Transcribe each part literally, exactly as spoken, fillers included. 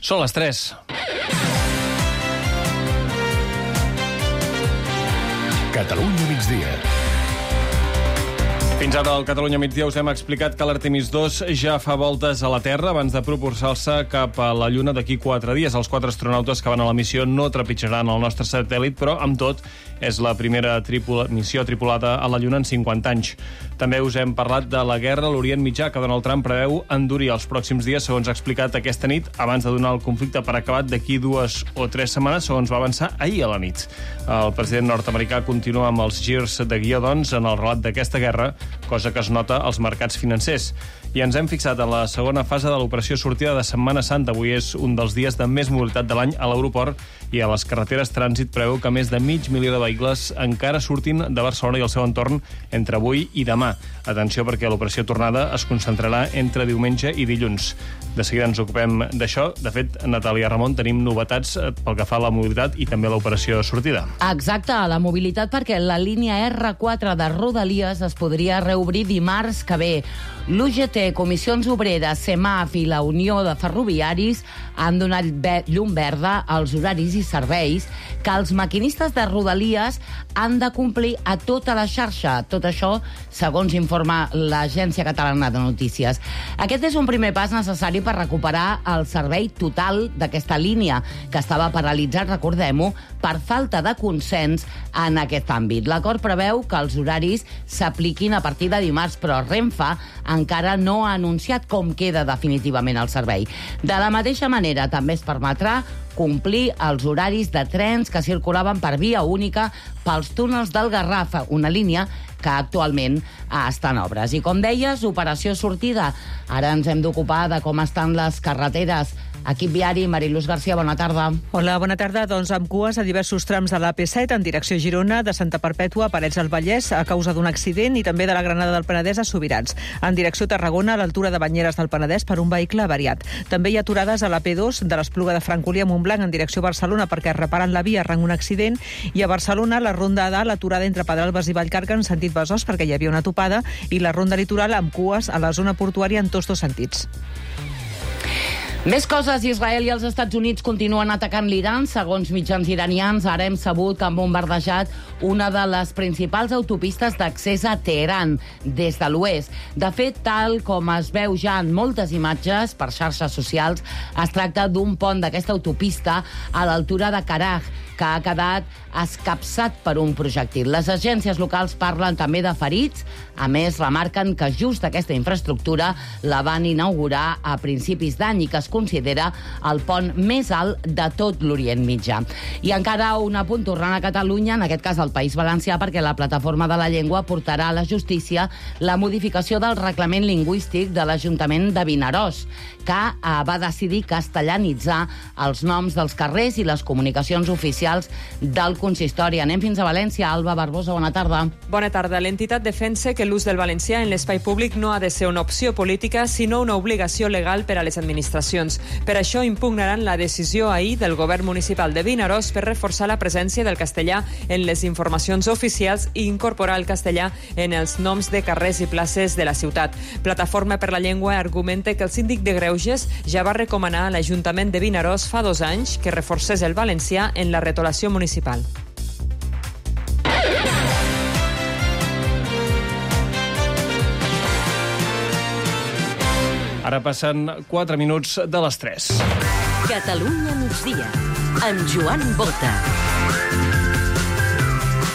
Són les tres. Catalunya migdia. Fins ara al Catalunya migdia us hem explicat que l'Artemis dos ja fa voltes a la Terra abans de propulsar-se cap a la Lluna d'aquí quatre dies. Els quatre astronautes que van a la missió no trepitjaran el nostre satèl·lit, però, amb tot, és la primera tripula... missió tripulada a la Lluna en cinquanta anys. També us hem parlat de la guerra a l'Orient Mitjà, que Donald Trump preveu endurir els pròxims dies, segons ha explicat aquesta nit, abans de donar el conflicte per acabat d'aquí dues o tres setmanes, segons va avançar ahir a la nit. El president nord-americà continua amb els girs de guió, doncs, en el relat d'aquesta guerra, cosa que es nota als mercats financers. I ens hem fixat en la segona fase de l'operació sortida de Setmana Santa. Avui és un dels dies de més mobilitat de l'any a l'aeroport i a les carreteres trànsit preveu que més de mig milió de vehicles encara surtin de Barcelona i el seu entorn entre avui i demà. Atenció, perquè l'operació tornada es concentrarà entre diumenge i dilluns. De seguida ens ocupem d'això. De fet, Natàlia Ramon, tenim novetats pel que fa a la mobilitat i també a l'operació sortida. Exacte, la mobilitat, perquè la línia erre quatre de Rodalies es podria reobrir dimarts que ve. L'U G T, Comissions Obreres, CEMAF i la Unió de Ferroviaris han donat llum verda als horaris i serveis que els maquinistes de Rodalies han de complir a tota la xarxa. Tot això, segons informa l'Agència Catalana de Notícies. Aquest és un primer pas necessari per recuperar el servei total d'aquesta línia, que estava paralitzat, recordem-ho, per falta de consens en aquest àmbit. L'acord preveu que els horaris s'apliquin a partir de dimarts, però Renfe encara no ha anunciat com queda definitivament el servei. De la mateixa manera, també es permetrà complir els horaris de trens que circulaven per via única pels túnels del Garraf, una línia que actualment està en obres. I com deies, operació sortida. Ara ens hem d'ocupar de com estan les carreteres. Equip viari, Mariluz García, bona tarda. Hola, bona tarda. Doncs amb cues a diversos trams de la A P set en direcció Girona, de Santa Perpètua a Parets del Vallès a causa d'un accident i també de la Granada del Penedès a Subirats. En direcció Tarragona, a l'altura de Banyeres del Penedès per un vehicle avariat. També hi ha aturades a la P dos de l'Espluga de Francolí a Montblanc en direcció Barcelona perquè reparen la via arran un accident, i a Barcelona la ronda A, l'aturada entre Pedralbes i Vallcarca en sentit Besòs perquè hi havia una topada, i la ronda litoral amb cues a la zona portuària en tots dos sentits. Més coses. Israel i els Estats Units continuen atacant l'Iran. Segons mitjans iranians, ara hem sabut que han bombardejat una de les principals autopistes d'accés a Teheran, des de l'oest. De fet, tal com es veu ja en moltes imatges per xarxes socials, es tracta d'un pont d'aquesta autopista a l'altura de Karaj, que ha quedat escapçat per un projectil. Les agències locals parlen també de ferits. A més, remarquen que just aquesta infraestructura la van inaugurar a principis d'any i que es considera el pont més alt de tot l'Orient Mitjà. I encara un apunt tornant a Catalunya, en aquest cas al País Valencià, perquè la Plataforma de la Llengua portarà a la justícia la modificació del reglament lingüístic de l'Ajuntament de Vinaròs, que va decidir castellanitzar els noms dels carrers i les comunicacions oficials del consistori. Anem fins a València. Alba Barbosa, bona tarda. Bona tarda. L'entitat defensa que l'ús del valencià en l'espai públic no ha de ser una opció política, sinó una obligació legal per a les administracions. Per això impugnaran la decisió ahir del govern municipal de Vinaròs per reforçar la presència del castellà en les informacions oficials i incorporar el castellà en els noms de carrers i places de la ciutat. Plataforma per la Llengua argumenta que el síndic de Greuges ja va recomanar a l'Ajuntament de Vinaròs fa dos anys que reforcés el valencià en la retolació municipal. Ara passen quatre minuts de les tres. Catalunya migdia, amb Joan Bota.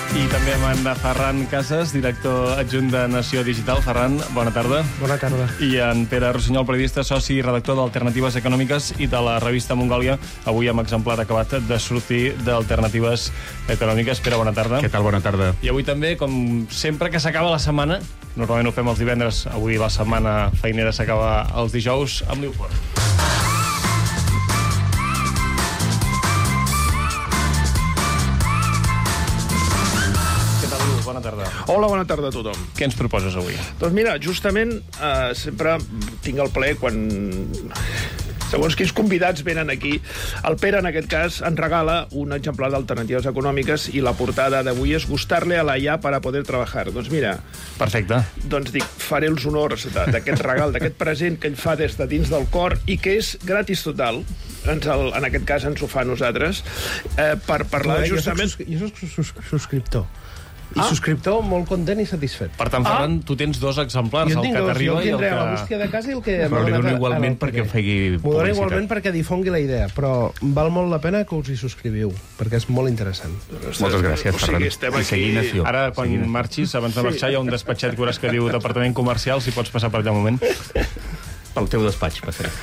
I també amb en Ferran Casas, director adjunt de Nació Digital. Ferran, bona tarda. Bona tarda. I en Pere Rossinyol, periodista, soci i redactor d'Alternatives Econòmiques i de la revista Mongòlia, avui amb exemplar acabat de sortir d'Alternatives Econòmiques. Pere, bona tarda. Què tal? Bona tarda. I avui també, com sempre que s'acaba la setmana, normalment ho fem els divendres, avui la setmana feinera s'acaba els dijous, amb Newport. Bona tarda. Hola, bona tarda a tothom. Què ens proposes avui? Doncs mira, justament eh, sempre tinc el plaer quan segons quins convidats venen aquí. El Pere, en aquest cas, ens regala un exemplar d'Alternatives Econòmiques i la portada d'avui és gustarle a la I A para poder trabajar. Doncs mira... Perfecte. Doncs dic, faré els honors d'aquest regal, d'aquest present que ell fa des de dins del cor i que és gratis total. ens el, en aquest cas ens ho fa a nosaltres, eh, per parlar jo justament... Soc, jo soc sus, subscriptor. I Ah. subscriptor molt content i satisfet. Per tant, Ferran, tu tens dos exemplars, Jo el tinc que dos, jo t'arriba el i el tindré que... a la bústia de casa i el que... Però m'ha li donat dono a- igualment a l'El perquè P D. faci M'ho dono publicitat. igualment perquè difongui la idea, però val molt la pena que us hi subscriviu, perquè és molt interessant. Moltes gràcies, O sigui, Ferran. estem I aquí... seguinació. Ara, quan marxis, abans de marxar, hi ha un despatxet que veuràs que diu Departament Comercial, si pots passar per allà un moment. Pel teu despatx, passaré.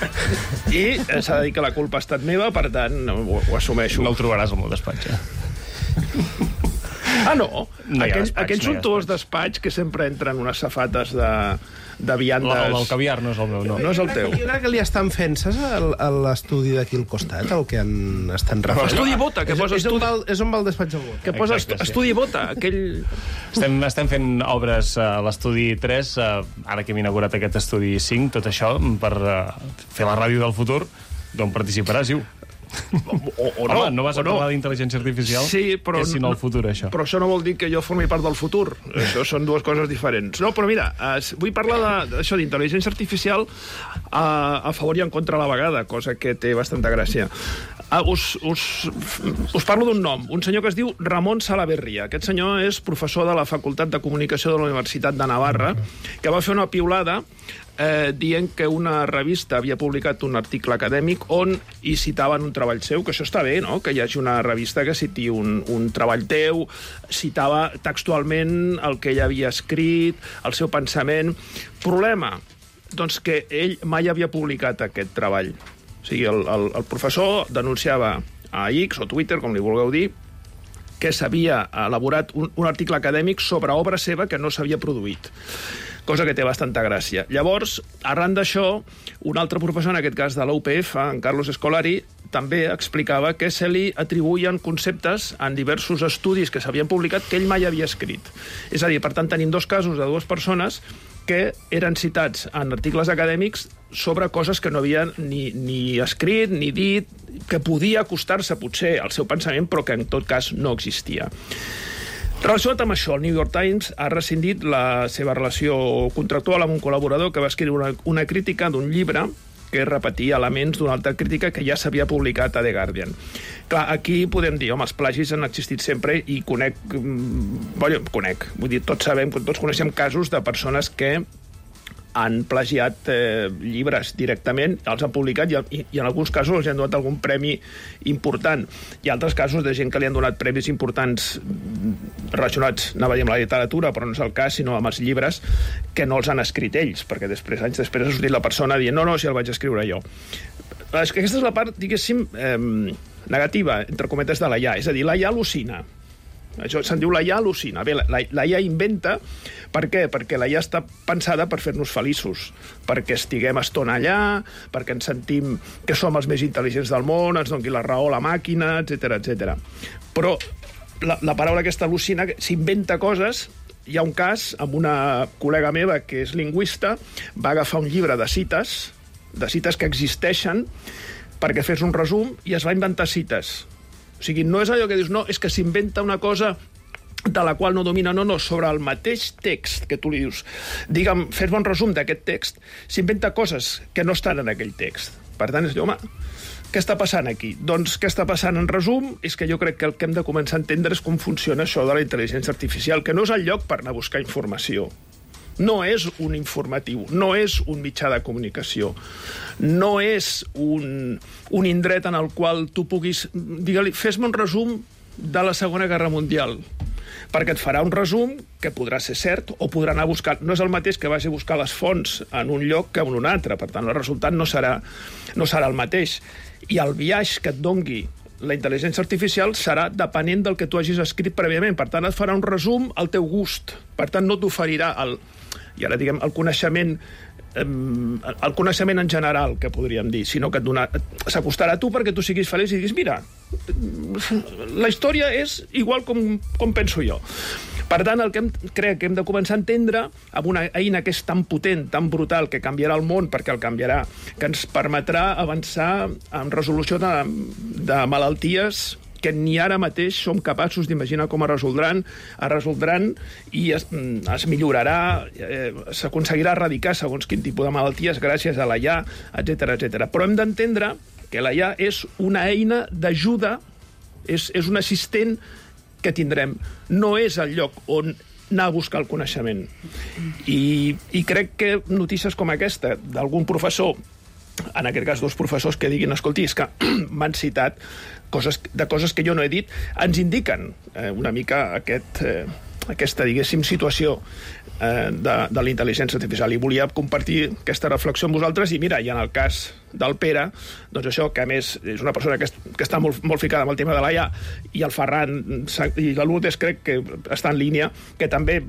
I eh, s'ha de dir que la culpa ha estat meva, per tant, ho, ho assumeixo. No el trobaràs al meu despatx, eh? Ah, no? No hi ha aquells despatx, aquells no hi ha suntuós despatx que sempre entren unes safates de, de viandes... El del caviar no és el meu, no. No és el teu. Jo crec que li estan fent, saps, el- el- l'estudi d'aquí al costat, el que han, estan refent? Estudi Bota, que és, posa és, on estudi... va, el- és on va el despatx del vot. Que posa Exacte, estu- sí. estudi Bota, aquell... Estem, estem fent obres a l'estudi tres, eh, ara que hem inaugurat aquest estudi cinc, tot això, per eh, fer la ràdio del futur, d'on participaràs, Iu. O, o Home, no vas a o parlar d'intel·ligència artificial? Sí, però... És sinó el futur, això. Però això no vol dir que jo formi part del futur. Això són dues coses diferents. No, però mira, eh, vull parlar de- d'això d'intel·ligència artificial a, a favor i en contra a la vegada, cosa que té bastanta gràcia. Uh, us, us, us parlo d'un nom, un senyor que es diu Ramon Salaverria. Aquest senyor és professor de la Facultat de Comunicació de la Universitat de Navarra, que va fer una piulada eh, dient que una revista havia publicat un article acadèmic on hi citaven un treball seu, que això està bé, no?, que hi hagi una revista que citi un, un treball teu, citava textualment el que ell havia escrit, el seu pensament. Problema, doncs que ell mai havia publicat aquest treball. O sigui, el, el, el professor denunciava a X o Twitter, com li vulgueu dir, que s'havia elaborat un, un article acadèmic sobre obra seva que no s'havia produït, cosa que té bastanta gràcia. Llavors, arran d'això, un altre professor, en aquest cas de la U P F, en Carlos Escolari, també explicava que se li atribuïen conceptes en diversos estudis que s'havien publicat que ell mai havia escrit. És a dir, per tant, tenim dos casos de dues persones que eren citats en articles acadèmics sobre coses que no havien ni, ni escrit ni dit, que podia acostar-se potser al seu pensament, però que en tot cas no existia. Relacionat amb això, el New York Times ha rescindit la seva relació contractual amb un col·laborador que va escriure una, una crítica d'un llibre que repetia elements d'una altra crítica que ja s'havia publicat a The Guardian. Clar, aquí podem dir, home, els plagis han existit sempre i conec... Bueno, conec, vull dir, tots sabem, tots coneixem casos de persones que han plagiat eh, llibres directament, els han publicat i, i, i en alguns casos els han donat algun premi important. Hi ha altres casos de gent que li han donat premis importants relacionats, anava a dir, amb la literatura, però no és el cas, sinó amb els llibres que no els han escrit ells, perquè després, anys després ha sortit la persona dient no, no, si el vaig escriure jo. És que aquesta és la part, diguéssim, eh, negativa, entre cometes, de la I A. És a dir, la I A al·lucina. Això se'n diu la I A al·lucina. Bé, la, la I A inventa. Per què? Perquè la I A està pensada per fer-nos feliços, perquè estiguem estona allà, perquè ens sentim que som els més intel·ligents del món, ens doni la raó a la màquina, etcètera, etcètera. Però la, la paraula aquesta al·lucina s'inventa coses. Hi ha un cas amb una col·lega meva que és lingüista, va agafar un llibre de cites, de cites que existeixen, perquè fes un resum i es va inventar cites. O sigui, no és allò que dius, no, és que s'inventa una cosa de la qual no domina, no, no, sobre el mateix text que tu li dius, digue'm, fes-me un resum d'aquest text, s'inventa coses que no estan en aquell text. Per tant, és dir, home, què està passant aquí? Doncs què està passant en resum és que jo crec que el que hem de començar a entendre és com funciona això de la intel·ligència artificial, que no és el lloc per anar a buscar informació. No és un informatiu, no és un mitjà de comunicació, no és un, un indret en el qual tu puguis... Digue-li, fes-me un resum de la Segona Guerra Mundial, perquè et farà un resum que podrà ser cert o podrà anar a buscar... No és el mateix que vagi a buscar les fonts en un lloc que en un altre, per tant, el resultat no serà, no serà el mateix. I el biaix que et dongui la intel·ligència artificial serà depenent del que tu hagis escrit prèviament. Per tant, et farà un resum al teu gust. Per tant, no t'oferirà el... I ara, diguem, el coneixement, eh, el coneixement en general, que podríem dir, sinó que et dona, s'acostarà a tu perquè tu siguis feliç i diguis, mira, la història és igual com, com penso jo. Per tant, el que hem, crec que hem de començar a entendre amb una eina que és tan potent, tan brutal, que canviarà el món, perquè el canviarà, que ens permetrà avançar en resolució de, de malalties que ni ara mateix som capaços d'imaginar com es resoldran, es resoldran i es, es millorarà, eh, s'aconseguirà erradicar segons quin tipus de malalties gràcies a la I A, etcètera, etcètera. Però hem d'entendre que la I A és una eina d'ajuda, és, és un assistent que tindrem. No és el lloc on anar a buscar el coneixement. I, i crec que notícies com aquesta d'algun professor, en aquest cas dos professors que diguin, escolti, és que m'han citat coses, de coses que jo no he dit, ens indiquen eh, una mica aquest, eh, aquesta, diguéssim, situació eh, de, de la intel·ligència artificial. I volia compartir aquesta reflexió amb vosaltres. I mira, i en el cas del Pere, doncs això, que a més és una persona que, que està molt, molt ficada amb el tema de l'A I A, i el Ferran i la Lourdes crec que està en línia, que també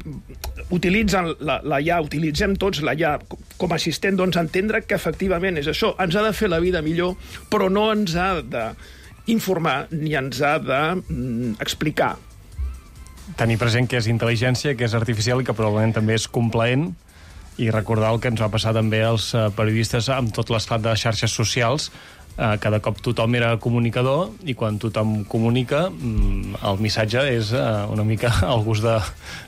utilitzen la, la I A, utilitzem tots la I A com a assistent, doncs entendre que efectivament és això, ens ha de fer la vida millor, però no ens ha d'informar ni ens ha d'explicar. Tenir present que és intel·ligència, que és artificial i que probablement també és complaent, i recordar el que ens va passar també als periodistes amb tot l'esclat de xarxes socials. Eh, cada cop tothom era comunicador i quan tothom comunica el missatge és eh, una mica al gust de,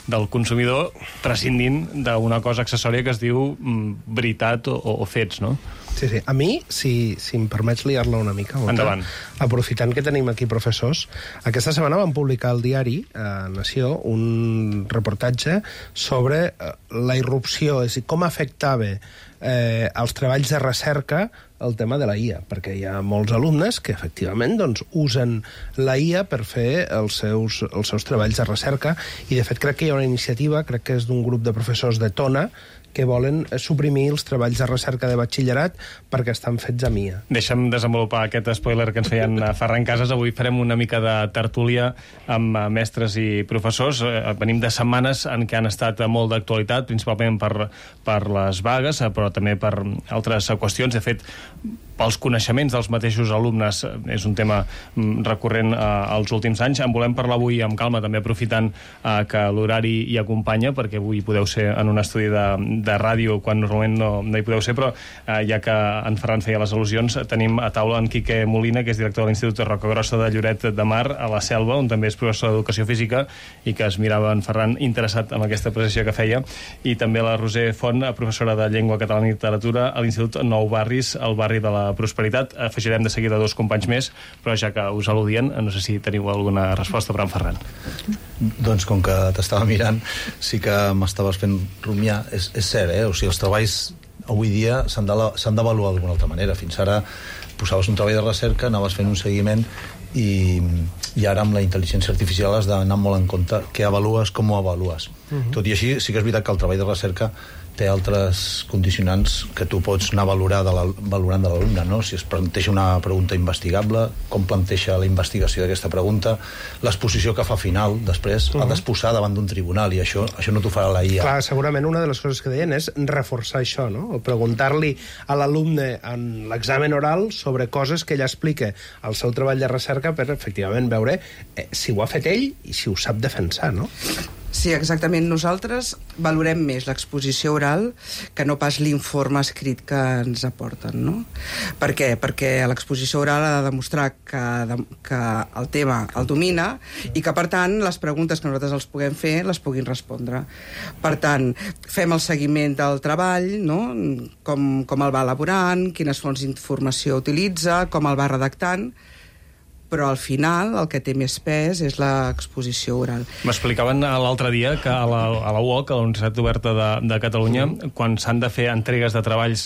del consumidor, prescindint d'una cosa accessòria que es diu mm, veritat o, o fets, no? Sí, sí. A mi, si, si em permets liar-la una mica, endavant. Aprofitant que tenim aquí professors, aquesta setmana vam publicar al diari eh, Nació un reportatge sobre eh, la irrupció, és a dir, com afectava eh, els treballs de recerca el tema de la I A, perquè hi ha molts alumnes que efectivament doncs, usen la I A per fer els seus, els seus treballs de recerca, i de fet crec que hi ha una iniciativa, crec que és d'un grup de professors de Tona, que volen suprimir els treballs de recerca de batxillerat perquè estan fets a M I A. Deixa'm desenvolupar aquest spoiler que ens feien a Ferran Casas. Avui farem una mica de tertúlia amb mestres i professors. Venim de setmanes en què han estat molt d'actualitat, principalment per, per les vagues, però també per altres qüestions. De fet, pels coneixements dels mateixos alumnes és un tema recurrent eh, als últims anys. En volem parlar avui amb calma, també aprofitant eh, que l'horari hi acompanya, perquè avui podeu ser en un estudi de, de ràdio quan normalment no, no hi podeu ser, però eh, ja que en Ferran feia les al·lusions, tenim a taula en Quique Molina, que és director de l'Institut de Rocagrossa de Lloret de Mar, a la Selva, on també és professor d'Educació Física, i que es mirava en Ferran interessat en aquesta precisió que feia, i també la Roser Font, professora de Llengua Catalana i Literatura a l'Institut Nou Barris, al barri de la Prosperitat. Afegirem de seguida dos companys més, però ja que us al·ludien, no sé si teniu alguna resposta per en Ferran. Doncs com que t'estava mirant, sí que m'estaves fent rumiar. És, és cert, eh? O sigui, els treballs avui dia s'han d'avaluar d'alguna altra manera. Fins ara posaves un treball de recerca, anaves fent un seguiment i, i ara amb la intel·ligència artificial has d'anar molt en compte què avalues, com ho avalues. Uh-huh. Tot i així, sí que és veritat que el treball de recerca té altres condicionants que tu pots anar valorar de la, valorant de l'alumne, no? Si es planteja una pregunta investigable, com planteja la investigació d'aquesta pregunta, l'exposició que fa final, després, uh-huh. ha d'exposar davant d'un tribunal, i això, això no t'ho farà la I A. Clar, segurament una de les coses que deien és reforçar això, no? O preguntar-li a l'alumne en l'examen oral sobre coses que ella explica al seu treball de recerca per, efectivament, veure eh, si ho ha fet ell i si ho sap defensar, no? Sí, exactament. Nosaltres valorem més l'exposició oral que no pas l'informe escrit que ens aporten, no? Per què? Perquè l'exposició oral ha de demostrar que, de, que el tema el domina i que, per tant, les preguntes que nosaltres els puguem fer les puguin respondre. Per tant, fem el seguiment del treball, no? Com, com el va elaborant, quines fonts d'informació utilitza, com el va redactant, però al final el que té més pes és l'exposició oral. M'explicaven l'altre dia que a la, a la U O C, a la Universitat Oberta de, de Catalunya, mm. quan s'han de fer entregues de treballs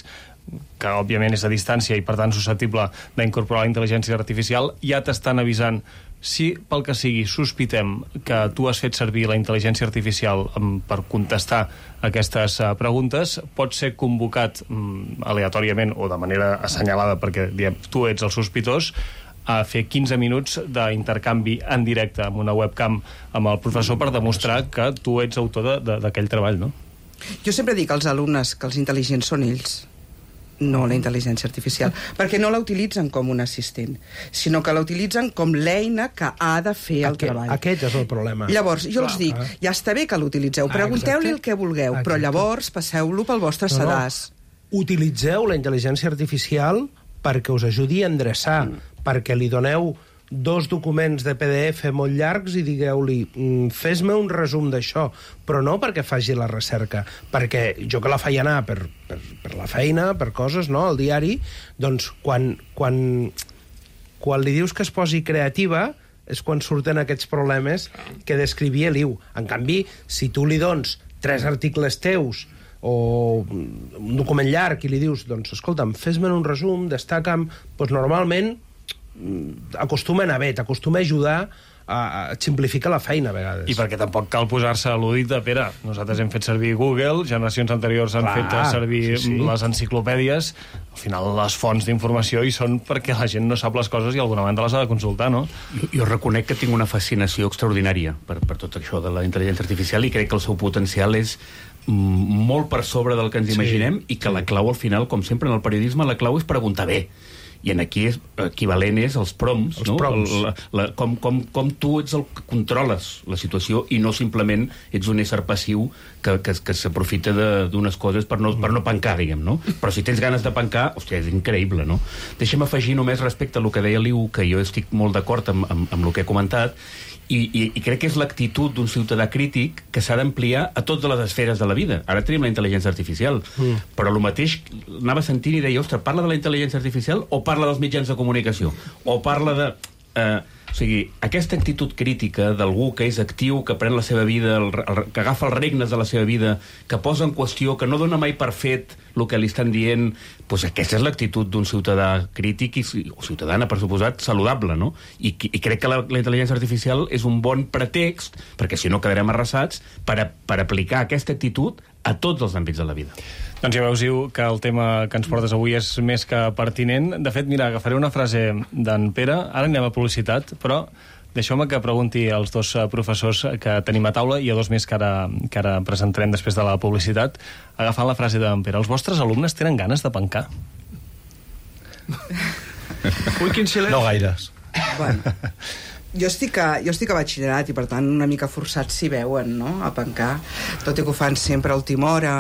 que òbviament és a distància i per tant susceptible d'incorporar la intel·ligència artificial, ja t'estan avisant si pel que sigui sospitem que tu has fet servir la intel·ligència artificial per contestar aquestes preguntes, pot ser convocat mm, aleatòriament o de manera assenyalada perquè diem, tu ets el sospitós, a fer quinze minuts d'intercanvi en directe amb una webcam amb el professor per demostrar que tu ets autor d'aquell treball, no? Jo sempre dic als alumnes que els intel·ligents són ells, no la intel·ligència artificial, perquè no la utilitzen com un assistent, sinó que la utilitzen com l'eina que ha de fer el aquest, treball. Aquest és el problema. Llavors, jo clar, els dic, clar. Ja està bé que l'utilitzeu, pregunteu-li el que vulgueu, exacte. Però llavors passeu-lo pel vostre no, sedàs. No. Utilitzeu la intel·ligència artificial perquè us ajudi a endreçar, mm. perquè li doneu dos documents de P D F molt llargs i digueu-li mm, fes-me un resum d'això, però no perquè faci la recerca, perquè jo que la faig anar per, per, per la feina, per coses, no?, al diari, doncs quan, quan, quan li dius que es posi creativa és quan surten aquests problemes que descrivia l'Iu. En canvi, si tu li dones tres articles teus o un document llarg i li dius, doncs, escolta'm, fes-me un resum, destaca'm, doncs normalment acostuma a anar bé, t'acostuma a ajudar a simplificar la feina a vegades. I perquè tampoc cal posar-se a l'udit de Pere. Nosaltres hem fet servir Google, generacions anteriors han Clar, fet servir sí, sí. les enciclopèdies. Al final les fonts d'informació hi són perquè la gent no sap les coses i d'alguna banda les ha de consultar, no? Jo, jo reconec que tinc una fascinació extraordinària per, per tot això de la intel·ligència artificial i crec que el seu potencial és molt per sobre del que ens sí. imaginem i que la clau al final, com sempre en el periodisme, la clau és preguntar bé. I en aquí és, equivalent és els prompts, els no? prompts. La, la, com, com, com tu ets el que controles la situació i no simplement ets un ésser passiu que, que, que s'aprofita d'unes coses per no, per no pencar, diguem, no? Però si tens ganes de pencar, hòstia, és increïble, no? Deixa'm afegir només respecte a el que deia l'Iu, que jo estic molt d'acord amb, amb, amb el que he comentat, i, i, i crec que és l'actitud d'un ciutadà crític que s'ha d'ampliar a totes les esferes de la vida. Ara tenim la intel·ligència artificial, mm. però el mateix anava sentint i deia, ostres, parla de la intel·ligència artificial o parla dels mitjans de comunicació? O parla de... Eh, o sigui, aquesta actitud crítica d'algú que és actiu, que pren la seva vida, el, el, que agafa els regnes de la seva vida, que posa en qüestió, que no dona mai per fet el que li estan dient, doncs aquesta és l'actitud d'un ciutadà crític i, o ciutadana, per suposat, saludable, no? I, i crec que la, la intel·ligència artificial és un bon pretext, perquè si no quedarem arrasats, per, a, per aplicar aquesta actitud a tots els àmbits de la vida. Doncs ja veus, Iu, que el tema que ens portes avui és més que pertinent. De fet, mira, agafaré una frase d'en Pere, ara anem a publicitat, però deixeu-me que pregunti als dos professors que tenim a taula i a dos més que ara, que ara presentarem després de la publicitat, agafant la frase d'en Pere. Els vostres alumnes tenen ganes de pencar? Ui, quin silenci. No gaires. Bueno, jo estic, a, jo estic a batxillerat i per tant una mica forçats s'hi veuen, no?, a pencar, tot i que ho fan sempre a última hora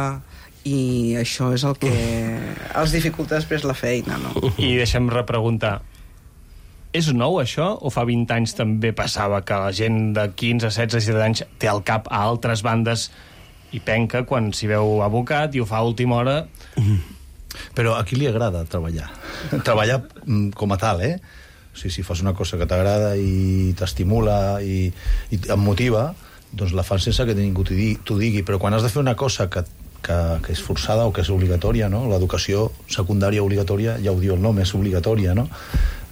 i això és el que els dificulta després la feina, no? I deixem repreguntar, és nou això o fa vint anys també passava que la gent de quinze, setze, disset anys té al cap a altres bandes i penca quan s'hi veu abocat i ho fa a última hora? Però a qui li agrada treballar? Treballar com a tal, eh? O sigui, si fas una cosa que t'agrada i t'estimula i, i et motiva, doncs la fas sense que ningú t'ho digui. Però quan has de fer una cosa que, que, que és forçada o que és obligatòria, no? L'educació secundària obligatòria, ja ho diu el nom, és obligatòria, no?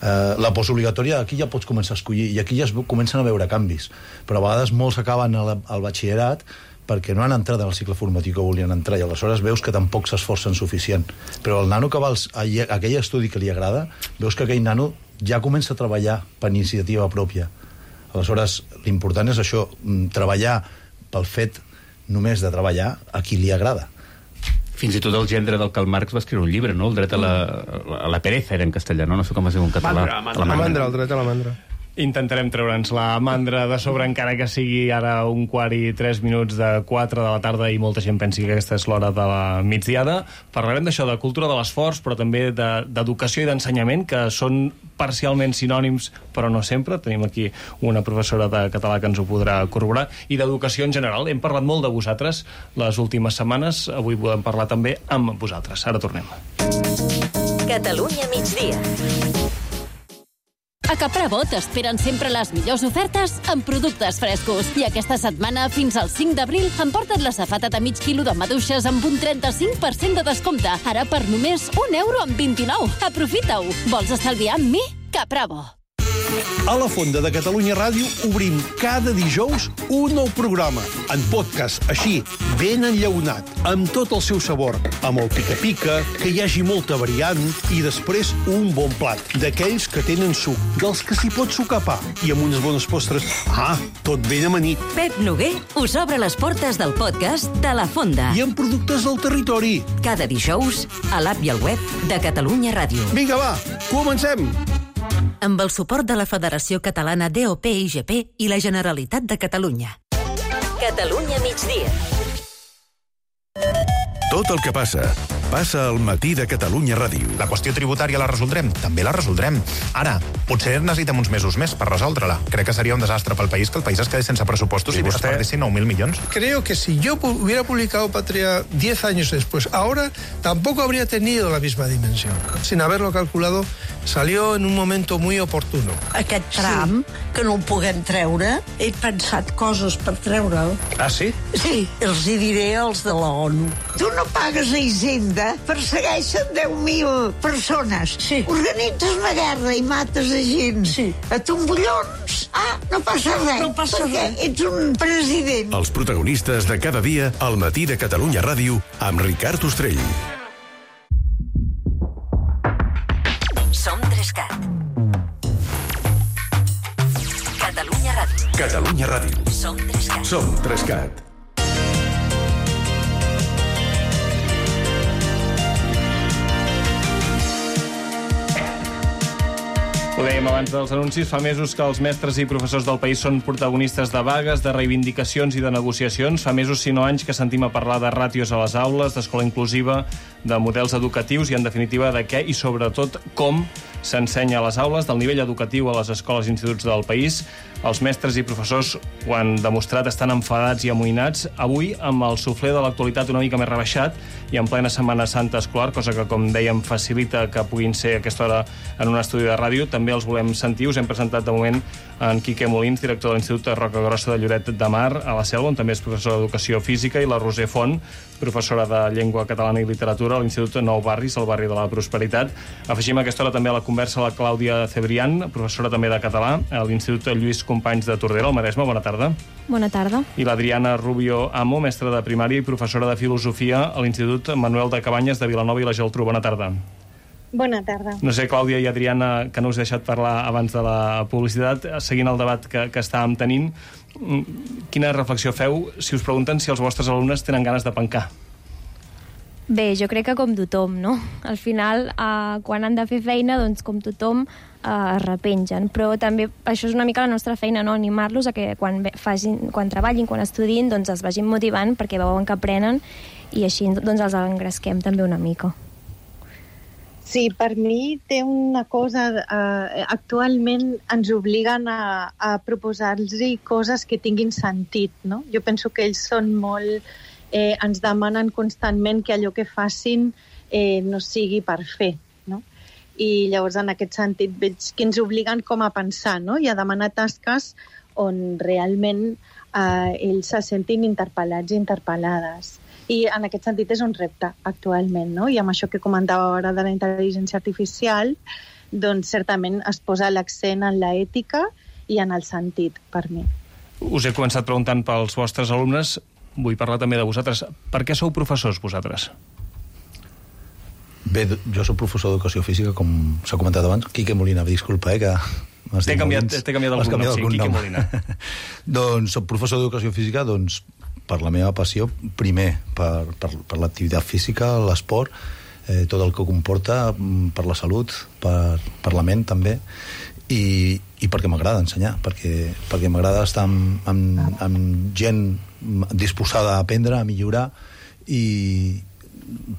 Eh, la postobligatòria, aquí ja pots començar a escollir i aquí ja es comencen a veure canvis. Però a vegades molts acaben al, al batxillerat perquè no han entrat en el cicle formatiu que volien entrar i aleshores veus que tampoc s'esforcen suficient. Però el nano que va als, a aquell estudi que li agrada, veus que aquell nano ja comença a treballar per iniciativa pròpia. Aleshores, l'important és això, treballar pel fet només de treballar a qui li agrada. Fins i tot el gendre del Karl Marx va escriure un llibre, no? El dret a la, a la pereza era en castellà, no? No sé com es diu en català. Mandra, mandra. La mandra, el dret a la mandra. Intentarem treure'ns la mandra de sobre, encara que sigui ara un quart i tres minuts de quatre de la tarda i molta gent pensi que aquesta és l'hora de la migdiada. Parlarem d'això, de cultura de l'esforç, però també d'educació i d'ensenyament, que són parcialment sinònims, però no sempre. Tenim aquí una professora de català que ens ho podrà corroborar. I d'educació en general. Hem parlat molt de vosaltres les últimes setmanes. Avui volem parlar també amb vosaltres. Ara tornem. Catalunya migdia. A Caprabo t'esperen sempre les millors ofertes amb productes frescos. I aquesta setmana, fins al cinc d'abril, emporta't la safata de mig quilo de maduixes amb un trenta-cinc per cent de descompte. Ara per només un euro amb vint-i-nou. Aprofita-ho. Vols estalviar amb mi? Caprabo. A la Fonda de Catalunya Ràdio obrim cada dijous un nou programa, en podcast, així, ben enllaunat, amb tot el seu sabor, amb el pica-pica, que hi hagi molta variant, i després un bon plat, d'aquells que tenen suc, dels que s'hi pot sucar pa, i amb unes bones postres. Ah, tot ben amanit. Pep Noguer us obre les portes del podcast de la Fonda. I amb productes del territori. Cada dijous, a l'app i al web de Catalunya Ràdio. Vinga, va, comencem! Amb el suport de la Federació Catalana D O P I G P i la Generalitat de Catalunya. Catalunya migdia. Tot el que passa, passa al matí de Catalunya Ràdio. La qüestió tributària la resoldrem? També la resoldrem. Ara, Potser necessitem uns mesos més per resoldre-la. Crec que seria un desastre pel país que el país es quedés sense pressupostos i, i vostè... es perdessin nou mil milions. Creo que si yo hubiera publicado Patria diez años después, ahora tampoco habría tenido la misma dimensión. Sin haberlo calculado, salió en un momento muy oportuno. Aquest tram, sí. que no el puguem treure, he pensat coses per treure'l. Ah, sí? Sí, els hi diré als de la ONU. Tu no pagues a Hisenda, persegueixen deu mil persones. Sí. Organitzes una guerra i mates a gent. Sí. A tombollons. Ah, no passa res. No passa res. Ets un president. Els protagonistes de cada dia al matí de Catalunya Ràdio amb Ricard Ostrell. Som Trescat. Catalunya Ràdio. Catalunya Ràdio. Som Trescat. Som Trescat. Ho dèiem abans dels anuncis, fa mesos que els mestres i professors del país són protagonistes de vagues, de reivindicacions i de negociacions. Fa mesos, si no anys, que sentim a parlar de ràtios a les aules, d'escola inclusiva, de models educatius i, en definitiva, de què i, sobretot, com s'ensenya a les aules, del nivell educatiu a les escoles i instituts del país. Els mestres i professors ho han demostrat, estan enfadats i amoïnats. Avui, amb el suflé de l'actualitat una mica més rebaixat i en plena Setmana Santa escolar, cosa que, com dèiem, facilita que puguin ser a aquesta hora en un estudi de ràdio, també els volem sentir. Us hem presentat de moment en Quique Molins, director de l'Institut de Roca Grossa de Lloret de Mar, a la Selva, on també és professor d'Educació Física, i la Roser Font, professora de Llengua Catalana i Literatura a l'Institut Nou Barris, al barri de la Prosperitat. Afegim a aquesta hora també a la conversa la Clàudia Cebrián, professora també de català a l'Institut Lluís Companys de Tordera, al Maresme. Bona tarda. Bona tarda. I l'Adriana Rubio Amo, mestra de primària i professora de Filosofia a l'Institut Manuel de Cabanyes de Vilanova i la Geltrú. Bona tarda. Bona tarda. No sé, Clàudia i Adriana, que no us he deixat parlar abans de la publicitat, seguint el debat que, que estàvem tenint, quina reflexió feu si us pregunten si els vostres alumnes tenen ganes de pencar? Bé, jo crec que com tothom, no? Al final, eh, quan han de fer feina, doncs com tothom eh, es repengen. Però també això és una mica la nostra feina, no? Animar-los a que quan, facin, quan treballin, quan estudin, doncs es vagin motivant perquè veuen que aprenen i així doncs els engresquem també una mica. Sí, per mi té una cosa... Eh, actualment ens obliguen a, a proposar-los coses que tinguin sentit, no? Jo penso que ells són molt... Eh, ens demanen constantment que allò que facin eh, no sigui per fer, no? I llavors en aquest sentit veig que ens obliguen com a pensar, no? I a demanar tasques on realment eh, ells se sentin interpel·lats i interpel·lades. I en aquest sentit és un repte actualment, no? I amb això que comentava ara de la intel·ligència artificial, doncs certament es posa l'accent en l'ètica i en el sentit, per mi. Us he començat preguntant pels vostres alumnes. Vull parlar també de vosaltres. Per què sou professors, vosaltres? Bé, jo soc professor d'Educació Física, com s'ha comentat abans. Quique Molina, disculpa, eh, que... T'he canviat, canviat algun nom, sí, Quique Molina. Doncs soc professor d'Educació Física doncs, per la meva passió, primer per, per, per l'activitat física, l'esport, eh, tot el que comporta per la salut, per, per la ment també, i, i perquè m'agrada ensenyar, perquè, perquè m'agrada estar amb, amb, amb gent disposada a aprendre, a millorar, i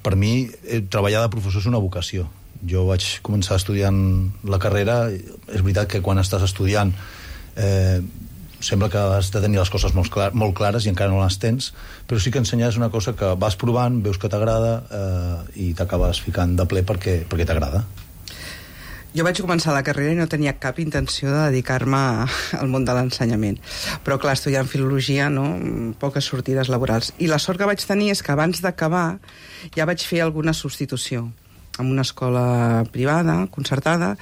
per mi treballar de professor és una vocació. Jo vaig començar estudiant la carrera, és veritat que quan estàs estudiant eh, sembla que has de tenir les coses molt, clar, molt clares i encara no les tens, però sí que ensenyar és una cosa que vas provant, veus que t'agrada eh, i t'acabes ficant de ple perquè, perquè t'agrada. Jo vaig començar la carrera i no tenia cap intenció de dedicar-me al món de l'ensenyament. Però, clar, estudiant filologia, no? Poques sortides laborals. I la sort que vaig tenir és que abans d'acabar ja vaig fer alguna substitució en una escola privada, concertada,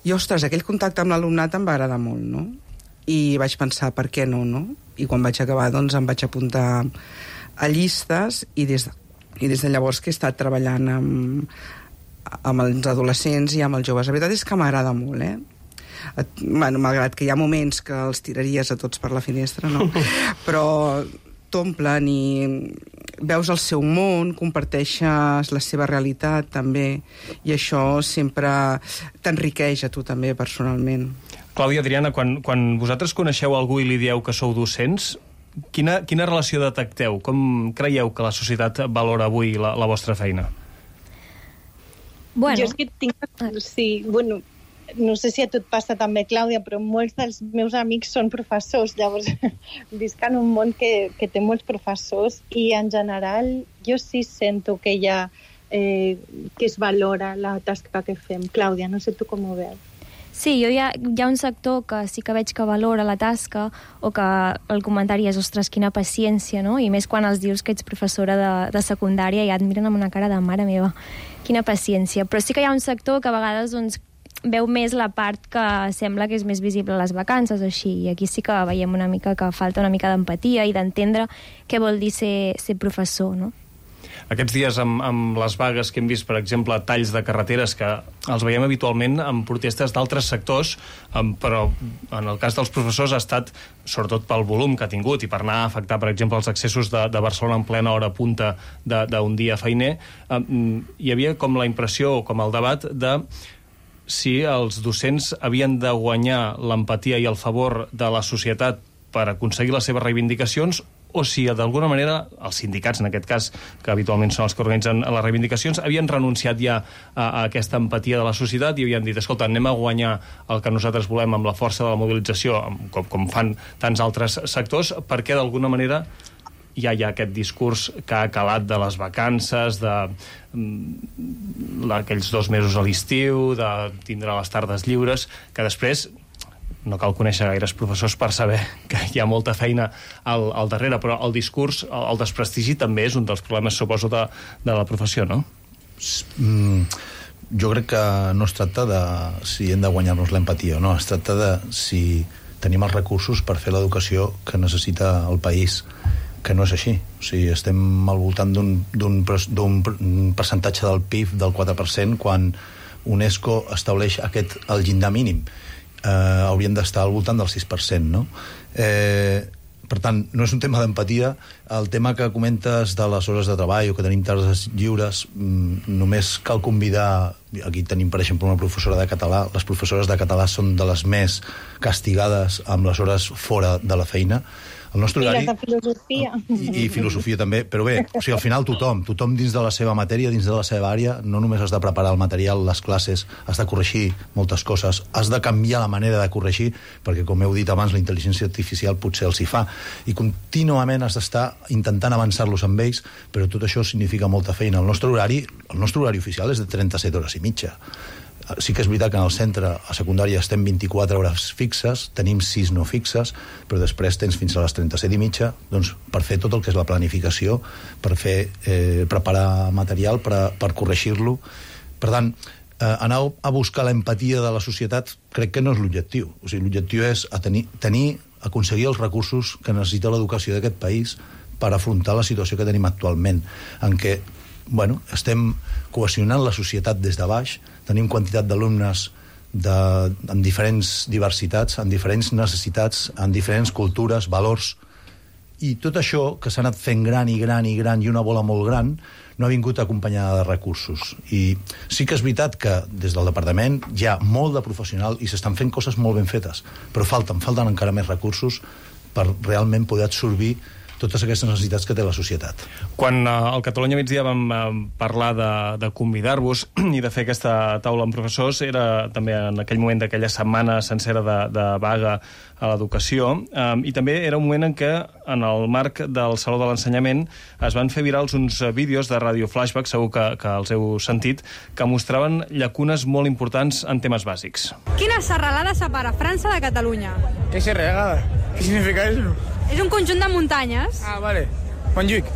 i, ostres, aquell contacte amb l'alumnat em va agradar molt, no? I vaig pensar, per què no, no? I quan vaig acabar, doncs, em vaig apuntar a llistes i des de, i des de llavors que he estat treballant amb amb els adolescents i amb els joves. La veritat és que m'agrada molt, eh? Bueno, malgrat que hi ha moments que els tiraries a tots per la finestra, no? Però t'omplen i veus el seu món, comparteixes la seva realitat també, i això sempre t'enriqueix a tu també personalment. Clàudia, Adriana, quan, quan vosaltres coneixeu algú i li dieu que sou docents, quina, quina relació detecteu? Com creieu que la societat valora avui la, la vostra feina? Bueno. Jo és que tinc... Sí, bueno, no sé si a tu et passa també, Clàudia, però molts dels meus amics són professors, llavors visc en un món que, que té molts professors i en general jo sí sento que hi ha, eh, que es valora la tasca que fem. Clàudia, no sé tu com ho veus. Sí, jo hi ha, hi ha un sector que sí que veig que valora la tasca o que el comentari és, ostres, quina paciència, no? I més quan els dius que ets professora de, de secundària i ja et miren amb una cara de mare meva, quina paciència. Però sí que hi ha un sector que a vegades doncs, veu més la part que sembla que és més visible a les vacances o així, i aquí sí que veiem una mica que falta una mica d'empatia i d'entendre què vol dir ser, ser professor, no? Aquests dies amb, amb les vagues que hem vist, per exemple, talls de carreteres que els veiem habitualment amb protestes d'altres sectors, però en el cas dels professors ha estat, sobretot pel volum que ha tingut i per anar a afectar, per exemple, els accessos de, de Barcelona en plena hora punta d'un dia feiner, hi havia com la impressió, com el debat de si els docents havien de guanyar l'empatia i el favor de la societat per aconseguir les seves reivindicacions, o si d'alguna manera els sindicats, en aquest cas, que habitualment són els que organitzen les reivindicacions, havien renunciat ja a, a aquesta empatia de la societat i havien dit, escolta, anem a guanyar el que nosaltres volem amb la força de la mobilització, com, com fan tants altres sectors, perquè d'alguna manera ja hi ha aquest discurs que ha calat de les vacances, de aquells dos mesos a l'estiu, de tindre les tardes lliures, que després no cal conèixer gaires professors per saber que hi ha molta feina al, al darrere, però el discurs, el, el desprestigi també és un dels problemes, suposo, de, de la professió, no? Mm, jo crec que no es tracta de si hem de guanyar-nos l'empatia o no, es tracta de si tenim els recursos per fer l'educació que necessita el país, que no és així. O sigui, estem al voltant d'un percentatge del P I B del quatre per cent quan UNESCO estableix aquest, el llindar mínim. Eh, hauríem d'estar al voltant del sis per cent, no? Eh, per tant, no és un tema d'empatia. El tema que comentes de les hores de treball o que tenim tardes lliures, mm, només cal convidar, aquí tenim per exemple una professora de català, les professores de català són de les més castigades amb les hores fora de la feina. El nostre horari... I les de filosofia. I, I filosofia també, però bé, o sigui, al final tothom, tothom dins de la seva matèria, dins de la seva àrea, no només has de preparar el material, les classes, has de corregir moltes coses, has de canviar la manera de corregir, perquè com heu dit abans, la intel·ligència artificial potser els hi fa, i contínuament has d'estar intentant avançar-los amb ells, però tot això significa molta feina. El nostre horari, el nostre horari oficial és de trenta-set hores i mitja. Sí que és veritat que en el centre, a secundària, estem vint-i-quatre hores fixes, tenim sis no fixes, però després tens fins a les trenta-set i mitja doncs, per fer tot el que és la planificació, per fer, eh, preparar material, per, per corregir-lo. Per tant, eh, anar a buscar l'empatia de la societat crec que no és l'objectiu. O sigui, l'objectiu és a tenir, tenir, aconseguir els recursos que necessita l'educació d'aquest país per afrontar la situació que tenim actualment, en què bueno, estem cohesionant la societat des de baix, tenim quantitat d'alumnes de, amb diferents diversitats, amb diferents necessitats, amb diferents cultures, valors, i tot això que s'ha anat fent gran i gran i gran i una bola molt gran no ha vingut acompanyada de recursos. I sí que és veritat que des del departament hi ha molt de professional i s'estan fent coses molt ben fetes, però falten, falten encara més recursos per realment poder absorbir totes aquestes necessitats que té la societat. Quan eh, al Catalunya Migdia vam eh, parlar de, de convidar-vos i de fer aquesta taula amb professors, era també en aquell moment d'aquella setmana sencera de, de vaga a l'educació, eh, i també era un moment en què, en el marc del Saló de l'Ensenyament, es van fer virals uns vídeos de Radio Flashback, segur que, que els heu sentit, que mostraven llacunes molt importants en temes bàsics. Quina serralada separa França de Catalunya? ¿Qué serralada? ¿Qué significa eso? És un conjunt de muntanyes. Ah, vale. Montjuïc.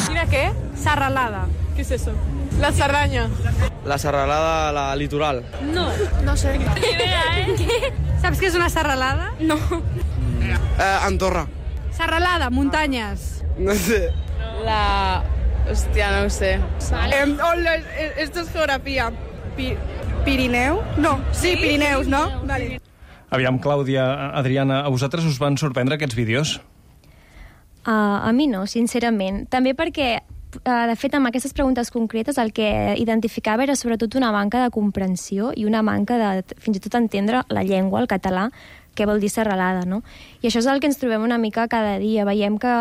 Quina què? Serralada. ¿Qué es eso? La Cerdaña. La serralada, la litoral. No. No sé. Ni idea, ¿eh? ¿Qué? Saps què és una serralada? No. Eh, Andorra. Serralada, muntanyes. No sé. La... Hòstia, no ho sé. Vale. Eh, hola, esto es geografía. Pi Pirineu? No. Sí, Pirineus, ¿no? Vale. Aviam, Clàudia, Adriana, a vosaltres us van sorprendre aquests vídeos? Uh, a mi no, sincerament. També perquè, uh, de fet, amb aquestes preguntes concretes el que identificava era sobretot una manca de comprensió i una manca de, fins i tot, entendre la llengua, el català, què vol dir serralada, no? I això és el que ens trobem una mica cada dia. Veiem que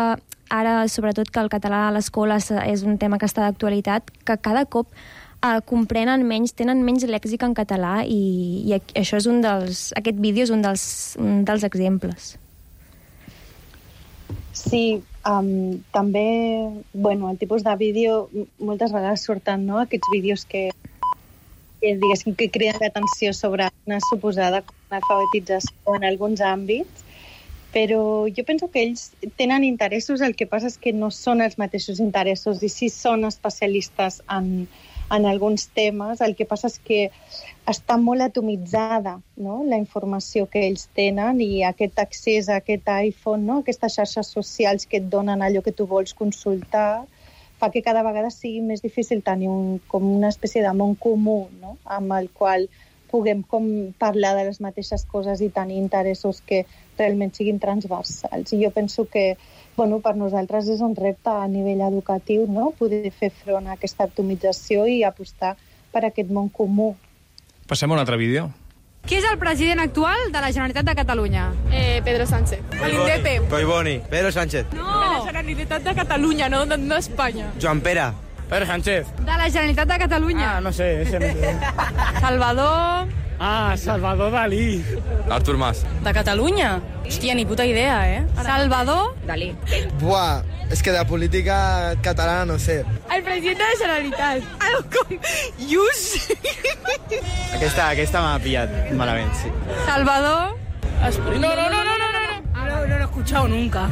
ara, sobretot, que el català a l'escola és un tema que està d'actualitat, que cada cop eh, comprenen menys, tenen menys lèxic en català i, i això és un dels, aquest vídeo és un dels, un dels exemples. Sí, um, també, bueno, el tipus de vídeo, moltes vegades surten, no?, aquests vídeos que, que diguéssim, que criden l'atenció sobre una suposada analfabetització en alguns àmbits, però jo penso que ells tenen interessos, el que passa és que no són els mateixos interessos i sí són especialistes en, en alguns temes, el que passa és que està molt atomitzada, no?, la informació que ells tenen i aquest accés a aquest iPhone, no?, aquestes xarxes socials que et donen allò que tu vols consultar, fa que cada vegada sigui més difícil tenir un, com una espècie de món comú, no?, amb el qual puguem com parlar de les mateixes coses i tenir interessos que realment siguin transversals. I jo penso que, bueno, per nosaltres és un repte a nivell educatiu, no?, poder fer front a aquesta atomització i apostar per aquest món comú. Passem a un altre vídeo. Qui és el president actual de la Generalitat de Catalunya? Eh, Pedro Sánchez. L'Indepe. Collboni. Pedro Sánchez. No. De la Generalitat de Catalunya, no, no, no Espanya. Joan Pere. Pedro Sánchez. De la Generalitat de Catalunya. Ah, no sé, ese no sé. Salvador... Ah, Salvador Dalí. Artur Mas. De Catalunya? Hòstia, ni puta idea, eh? Salvador Dalí. Buah, és que de política catalana no sé. El president de la Generalitat. Algo com... Ius. Aquesta, aquesta m'ha pillat malament, sí. Salvador... No, no, no, no, no, no. No, no lo he escuchado nunca.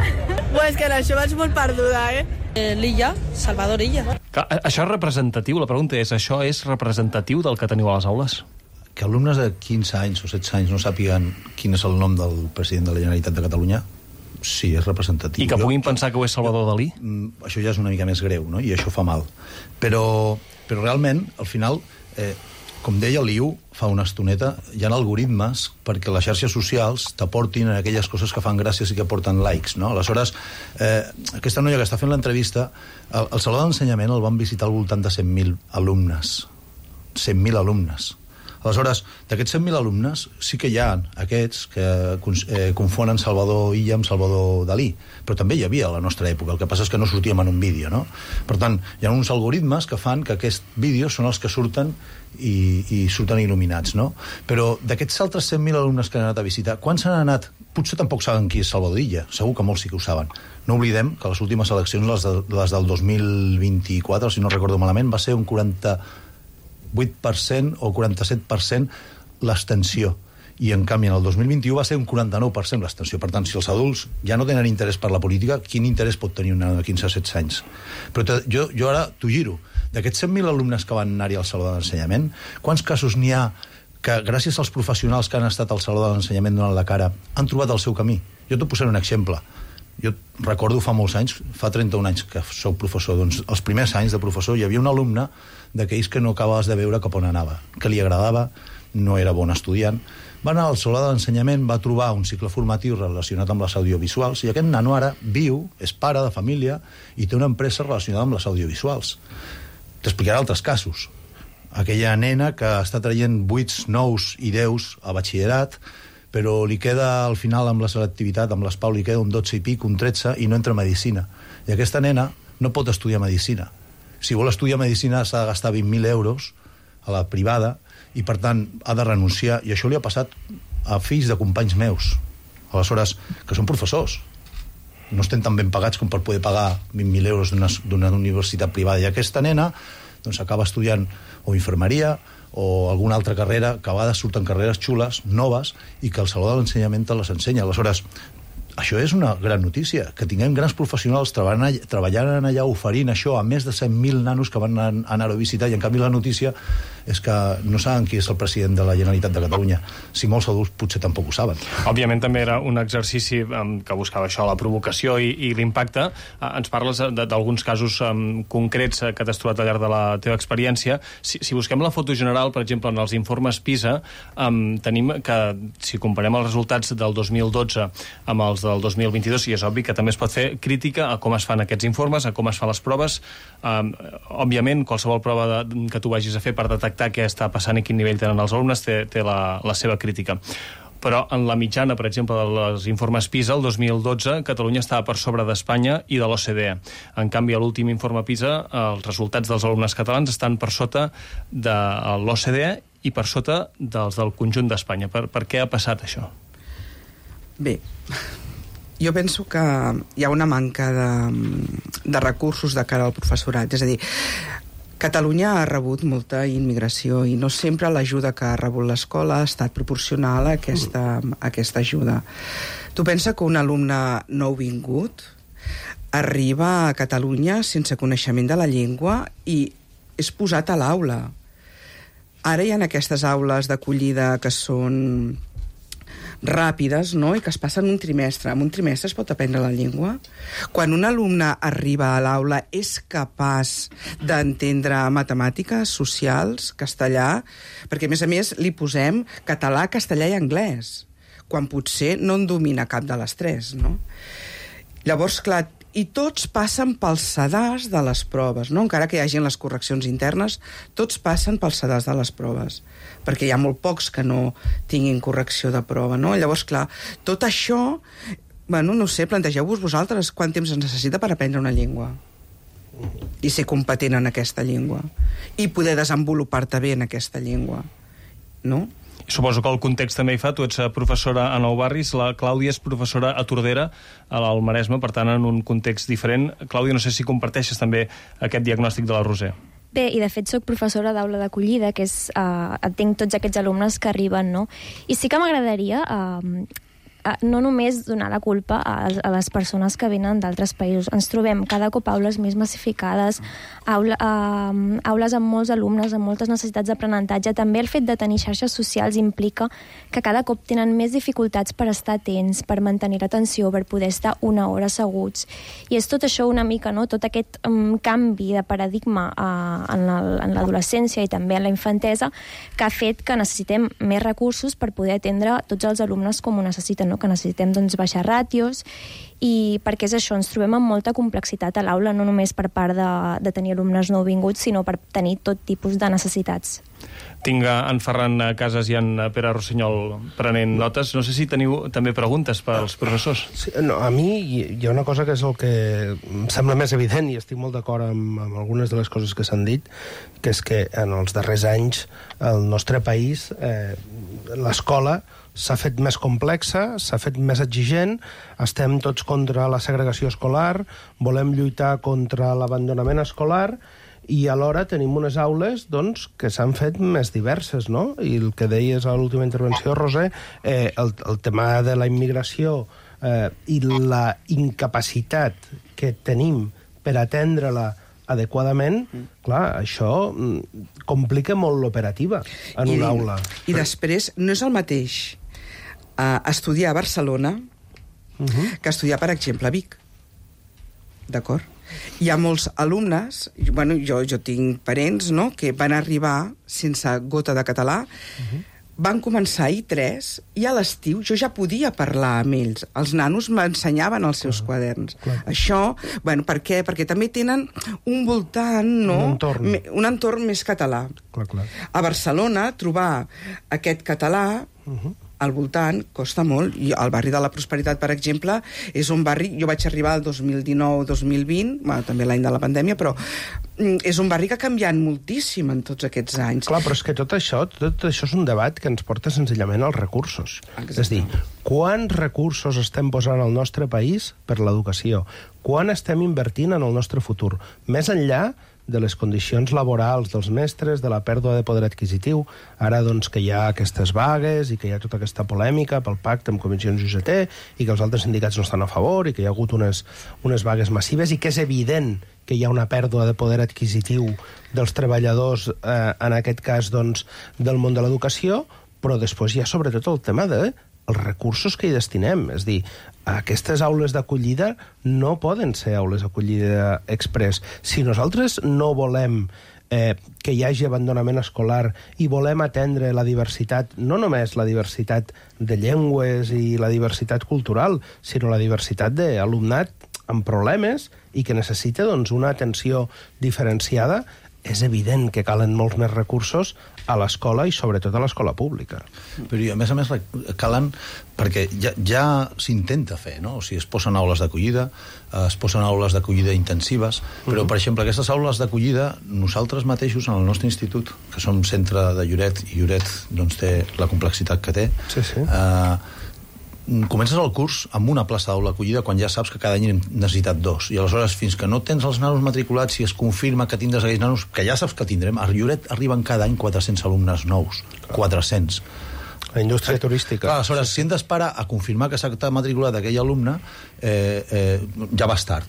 Bueno, és que en això vaig molt perduda, eh? eh L'Illa, Salvador Illa. Clar, això és representatiu, la pregunta és, això és representatiu del que teniu a les aules? Que alumnes de quinze anys o setze anys no sàpiguen quin és el nom del president de la Generalitat de Catalunya, sí, és representatiu. I que puguin pensar que ho és Salvador Dalí? Això ja és una mica més greu, no?, i això fa mal. Però, però realment, al final, eh, com deia l'Iu fa una estoneta, hi ha algoritmes perquè les xarxes socials t'aportin aquelles coses que fan gràcies i que porten likes, no? Aleshores, eh, aquesta noia que està fent l'entrevista, el, el Saló d'Ensenyament el van visitar al voltant de cent mil alumnes. cent mil alumnes. Aleshores, d'aquests cent mil alumnes sí que hi ha aquests que eh, confonen Salvador Illa amb Salvador Dalí, però també hi havia a la nostra època, el que passa és que no sortíem en un vídeo, no? Per tant, hi ha uns algoritmes que fan que aquests vídeos són els que surten i, i surten il·luminats, no? Però d'aquests altres cent mil alumnes que han anat a visitar, quants han anat? Potser tampoc saben qui és Salvador Illa, segur que molts sí que ho saben. No oblidem que les últimes eleccions, les, de, les del dos mil vint-i-quatre, si no recordo malament, va ser un quaranta vuit per cent o quaranta-set per cent l'abstenció. I, en canvi, en el dos mil vint-i-u va ser un quaranta-nou per cent l'abstenció. Per tant, si els adults ja no tenen interès per la política, quin interès pot tenir un nen de quinze o setze anys? Però te, jo, jo ara t'ho giro. D'aquests cent mil alumnes que van anar-hi al Saló de l'Ensenyament, quants casos n'hi ha que, gràcies als professionals que han estat al Saló de l'Ensenyament donant la cara, han trobat el seu camí? Jo t'ho posaré un exemple. Jo recordo fa molts anys, fa trenta-un anys que soc professor, doncs els primers anys de professor hi havia un alumne d'aquells que no acabaves de veure cap on anava, que li agradava, no era bon estudiant, va anar al Saló de l'Ensenyament, va trobar un cicle formatiu relacionat amb les audiovisuals, i aquest nano ara viu, és pare de família, i té una empresa relacionada amb les audiovisuals. T'explicaré altres casos. Aquella nena que està traient vuits, nous i deus a batxillerat, però li queda al final amb la selectivitat, amb l'ESPAU li queda un dotze i pic, un tretze, i no entra a Medicina. I aquesta nena no pot estudiar Medicina. Si vol estudiar Medicina s'ha de gastar vint mil euros a la privada i, per tant, ha de renunciar. I això li ha passat a fills de companys meus. Aleshores, que són professors. No estem tan ben pagats com per poder pagar vint mil euros d'una universitat privada. I aquesta nena doncs, acaba estudiant o infermeria o alguna altra carrera, que a vegades surten carreres xules, noves, i que el Saló de l'Ensenyament te les ensenya. Aleshores, això és una gran notícia, que tinguem grans professionals treballant, treballant allà, oferint això a més de cent mil nanos que van anar a visitar, i en canvi la notícia és que no saben qui és el president de la Generalitat de Catalunya. Si molts adults potser tampoc ho saben. Òbviament també era un exercici um, que buscava això, la provocació i, i l'impacte. Uh, ens parles d'alguns casos um, concrets que t'has trobat al llarg de la teva experiència. Si, si busquem la foto general, per exemple, en els informes PISA, um, tenim que, si comparem els resultats del dos mil dotze amb els del dos mil vint-i-dos, i és obvi que també es pot fer crítica a com es fan aquests informes, a com es fan les proves. Um, òbviament, qualsevol prova de, que tu vagis a fer per detectar què està passant i quin nivell tenen els alumnes té, té la, la seva crítica. Però en la mitjana, per exemple, dels informes PISA, el dos mil dotze, Catalunya estava per sobre d'Espanya i de l'O C D E. En canvi, a l'últim informe PISA, els resultats dels alumnes catalans estan per sota de l'O C D E i per sota dels del conjunt d'Espanya. Per, per què ha passat això? Bé, jo penso que hi ha una manca de, de recursos de cara al professorat. És a dir, Catalunya ha rebut molta immigració i no sempre l'ajuda que ha rebut l'escola ha estat proporcional a aquesta, a aquesta ajuda. Tu pensa que un alumne nouvingut arriba a Catalunya sense coneixement de la llengua i és posat a l'aula. Ara hi ha aquestes aules d'acollida que són ràpides, no?, i que es passen un trimestre. En un trimestre es pot aprendre la llengua? Quan un alumne arriba a l'aula és capaç d'entendre matemàtiques, socials, castellà, perquè a més a més li posem català, castellà i anglès, quan potser no en domina cap de les tres, no? Llavors, clar, i tots passen pels sedars de les proves, no? Encara que hi hagi les correccions internes, tots passen pels sedars de les proves, perquè hi ha molt pocs que no tinguin correcció de prova, no? Llavors, clar, tot això, bueno, no sé, plantegeu-vos vosaltres quant temps es necessita per aprendre una llengua i ser competent en aquesta llengua i poder desenvolupar-te bé en aquesta llengua, no? Suposo que el context també hi fa. Tu ets professora a Nou Barris, la Clàudia és professora a Tordera, al Maresme, per tant, en un context diferent. Clàudia, no sé si comparteixes també aquest diagnòstic de la Roser. Bé, i de fet soc professora d'aula d'acollida, que és, eh, atenc tots aquests alumnes que arriben, no? I sí que m'agradaria eh, no només donar la culpa a, a les persones que venen d'altres països. Ens trobem cada cop aules més massificades, aula, uh, aules amb molts alumnes, amb moltes necessitats d'aprenentatge. També el fet de tenir xarxes socials implica que cada cop tenen més dificultats per estar atents, per mantenir l'atenció, per poder estar una hora asseguts. I és tot això una mica, no?, tot aquest um, canvi de paradigma uh, en l'adolescència i també en la infantesa, que ha fet que necessitem més recursos per poder atendre tots els alumnes com ho necessiten, no? Que necessitem doncs, baixar ràtios, i perquè és això, ens trobem amb molta complexitat a l'aula, no només per part de, de tenir alumnes nouvinguts, sinó per tenir tot tipus de necessitats. Tinc en Ferran Casas i en Pere Rossinyol prenent notes. No sé si teniu també preguntes pels professors. Sí, no, a mi hi ha una cosa que és el que em sembla més evident, i estic molt d'acord amb, amb algunes de les coses que s'han dit, que és que en els darrers anys el nostre país, eh, l'escola s'ha fet més complexa, s'ha fet més exigent, estem tots contra la segregació escolar, volem lluitar contra l'abandonament escolar, i alhora tenim unes aules doncs, que s'han fet més diverses, no? I el que deies a l'última intervenció, Roser, eh, el, el tema de la immigració eh, i la incapacitat que tenim per atendre-la adequadament, clar, això complica molt l'operativa en I, una aula. I després, no és el mateix uh, estudiar a Barcelona uh-huh. que estudiar, per exemple, a Vic. D'acord? Hi ha molts alumnes, bueno, jo, jo tinc parents, no?, que van arribar sense gota de català, uh-huh. van començar a I tres, i a l'estiu jo ja podia parlar amb ells. Els nanos m'ensenyaven els seus clar, quaderns. Clar. Això, bueno, per què? Perquè també tenen un voltant, no?, un entorn, me, un entorn més català. Clar, clar. A Barcelona, trobar aquest català uh-huh. al voltant costa molt, i el barri de la Prosperitat, per exemple, és un barri, jo vaig arribar el dos mil dinou dos mil vint, bueno, també l'any de la pandèmia, però és un barri que ha canviat moltíssim en tots aquests anys. Clar, però és que tot això, tot això és un debat que ens porta senzillament als recursos. Exacte. És dir, quants recursos estem posant al nostre país per l'educació? Quan estem invertint en el nostre futur? Més enllà de les condicions laborals dels mestres, de la pèrdua de poder adquisitiu, ara doncs que hi ha aquestes vagues i que hi ha tota aquesta polèmica pel pacte amb comissions U G T i que els altres sindicats no estan a favor i que hi ha hagut unes, unes vagues massives i que és evident que hi ha una pèrdua de poder adquisitiu dels treballadors, eh, en aquest cas doncs, del món de l'educació, però després hi ha sobretot el tema de els recursos que hi destinem. És dir, aquestes aules d'acollida no poden ser aules d'acollida express. Si nosaltres no volem eh, que hi hagi abandonament escolar i volem atendre la diversitat, no només la diversitat de llengües i la diversitat cultural, sinó la diversitat d'alumnat amb problemes i que necessita doncs, una atenció diferenciada, és evident que calen molts més recursos a l'escola i sobretot a l'escola pública. Però a més a més calen, perquè ja, ja s'intenta fer, no? O sigui, es posen aules d'acollida, es posen aules d'acollida intensives, però, per exemple, aquestes aules d'acollida, nosaltres mateixos, en el nostre institut, que som centre de Lloret, i Lloret doncs, té la complexitat que té, sí, sí. Eh, comences el curs amb una plaça d'aula acollida quan ja saps que cada any hem necessitat dos, i aleshores fins que no tens els nanos matriculats i es confirma que tindràs aquells nanos, que ja saps que tindrem, a Lloret arriben cada any quatre-cents alumnes nous, quatre-cents. La indústria turística. Clar, aleshores, si hem d'esperar a confirmar que s'ha matriculat aquell alumne, eh, eh, ja vas tard.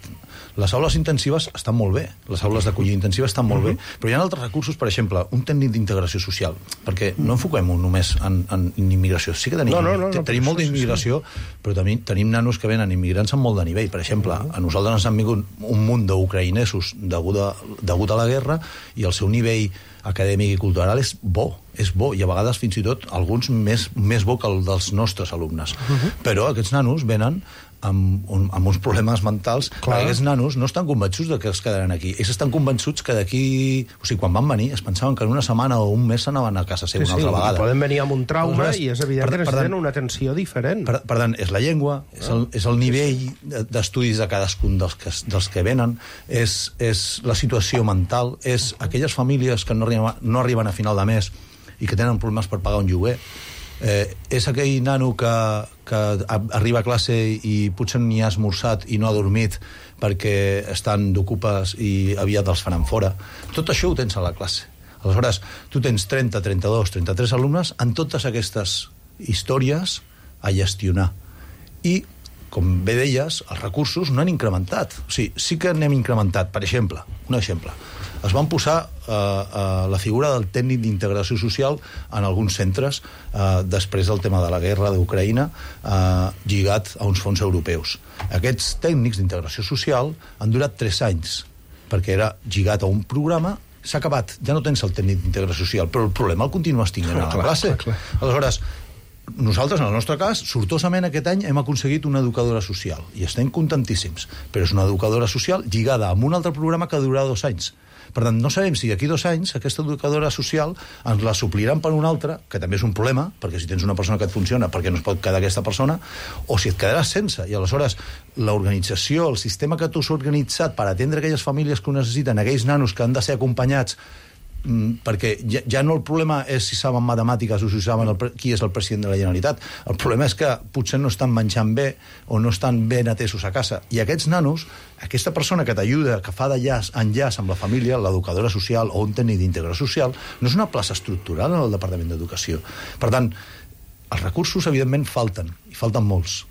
Les aules intensives estan molt bé, les aules d'acollida intensiva estan molt bé, però hi ha altres recursos, per exemple, un tècnic d'integració social, perquè no enfoquem-ho només en, en immigració. Sí que tenim, no, no, no, no, tenim molta immigració, sí, sí. però també tenim nanos que venen immigrants amb molt de nivell. Per exemple, a nosaltres ens han vingut un munt d'ucraïnesos degut, a, degut a la guerra, i el seu nivell acadèmic i cultural és bo, és bo, i a vegades fins i tot alguns més, més bo que el dels nostres alumnes. Uh-huh. Però aquests nanos venen amb, amb uns problemes mentals. Clar. Aquests nanos no estan convençuts de que es quedaran aquí. Ells estan convençuts que d'aquí... O sigui, quan van venir, es pensaven que en una setmana o un mes s'anaven a casa seva, sí, una altra sí, vegada. Poden venir amb un trauma, Aleshores, i és evident per, que necessiten una atenció diferent. Per, per tant, és la llengua, és el, és el nivell d'estudis de cadascun dels que, dels que venen, és, és la situació mental, és aquelles famílies que no arriben, no arriben a final de mes i que tenen problemes per pagar un lloguer. Eh, és aquell nano que, que arriba a classe i potser ni ha esmorzat i no ha dormit perquè estan d'ocupes i aviat els faran fora. Tot això ho tens a la classe. Aleshores, tu tens trenta, trenta-dos, trenta-tres alumnes en totes aquestes històries a gestionar. I, com bé deies, els recursos no han incrementat. O sigui, sí que n'hem incrementat. Per exemple, un exemple, es van posar eh, eh, la figura del tècnic d'integració social en alguns centres eh, després del tema de la guerra d'Ucraïna, eh, lligat a uns fons europeus. Aquests tècnics d'integració social han durat tres anys, perquè era lligat a un programa. S'ha acabat, ja no tens el tècnic d'integració social, però el problema el continues tinguent a la classe. Aleshores, nosaltres, en el nostre cas, sortosament aquest any hem aconseguit una educadora social i estem contentíssims, però és una educadora social lligada amb un altre programa que durarà dos anys. Per tant, no sabem si d'aquí dos anys aquesta educadora social ens la supliran per una altra, que també és un problema, perquè si tens una persona que et funciona, per què no es pot quedar aquesta persona, o si et quedaràs sense. I aleshores l'organització, el sistema que tu has organitzat per atendre aquelles famílies que ho necessiten, aquells nanos que han de ser acompanyats, perquè ja, ja no el problema és si saben matemàtiques o si saben el, qui és el president de la Generalitat. El problema és que potser no estan menjant bé o no estan ben atesos a casa. I aquests nanos, aquesta persona que t'ajuda, que fa d'enllaç enllaç amb la família, l'educadora social o un tècnic d'integració social, no és una plaça estructural en el Departament d'Educació. Per tant, els recursos, evidentment, falten, i falten molts.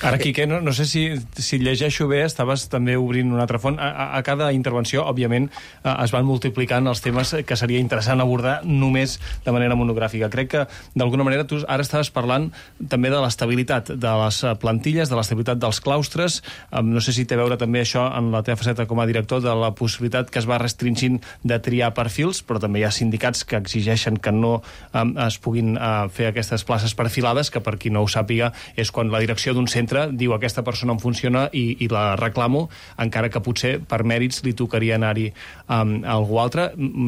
Ara, Quique, no, no sé si, si llegeixo bé, estaves també obrint una altra font. A, a, a cada intervenció, òbviament, es van multiplicant els temes que seria interessant abordar només de manera monogràfica. Crec que, d'alguna manera, tu ara estaves parlant també de l'estabilitat de les plantilles, de l'estabilitat dels claustres. No sé si té a veure també això en la teva faceta com a director, de la possibilitat que es va restringint de triar perfils, però també hi ha sindicats que exigeixen que no um, es puguin uh, fer aquestes places perfilades, que per qui no ho sàpiga és quan la direcció d'un centre diu aquesta persona em funciona i, i la reclamo, encara que potser per mèrits li tocaria anar-hi um, a algú altre.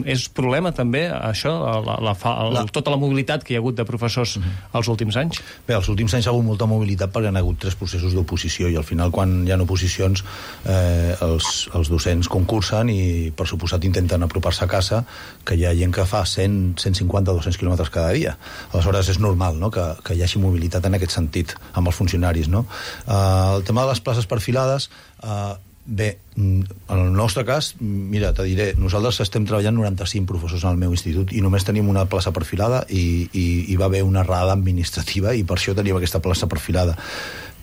És problema també això, la, la, la, la, tota la mobilitat que hi ha hagut de professors uh-huh. els últims anys? Bé, els últims anys hi ha hagut molta mobilitat perquè hi ha hagut tres processos d'oposició i al final quan hi ha oposicions eh, els, els docents concursen i per suposat intenten apropar-se a casa, que hi ha gent que fa cent, cent cinquanta, dos-cents quilòmetres cada dia. Aleshores és normal, no?, que, que hi hagi mobilitat en aquest sentit amb els funcionaris, no? Uh, el tema de les places perfilades, uh, bé, en el nostre cas, mira, te diré, nosaltres estem treballant noranta-cinc professors en el meu institut i només tenim una plaça perfilada i, i, i va haver una errada administrativa i per això teníem aquesta plaça perfilada.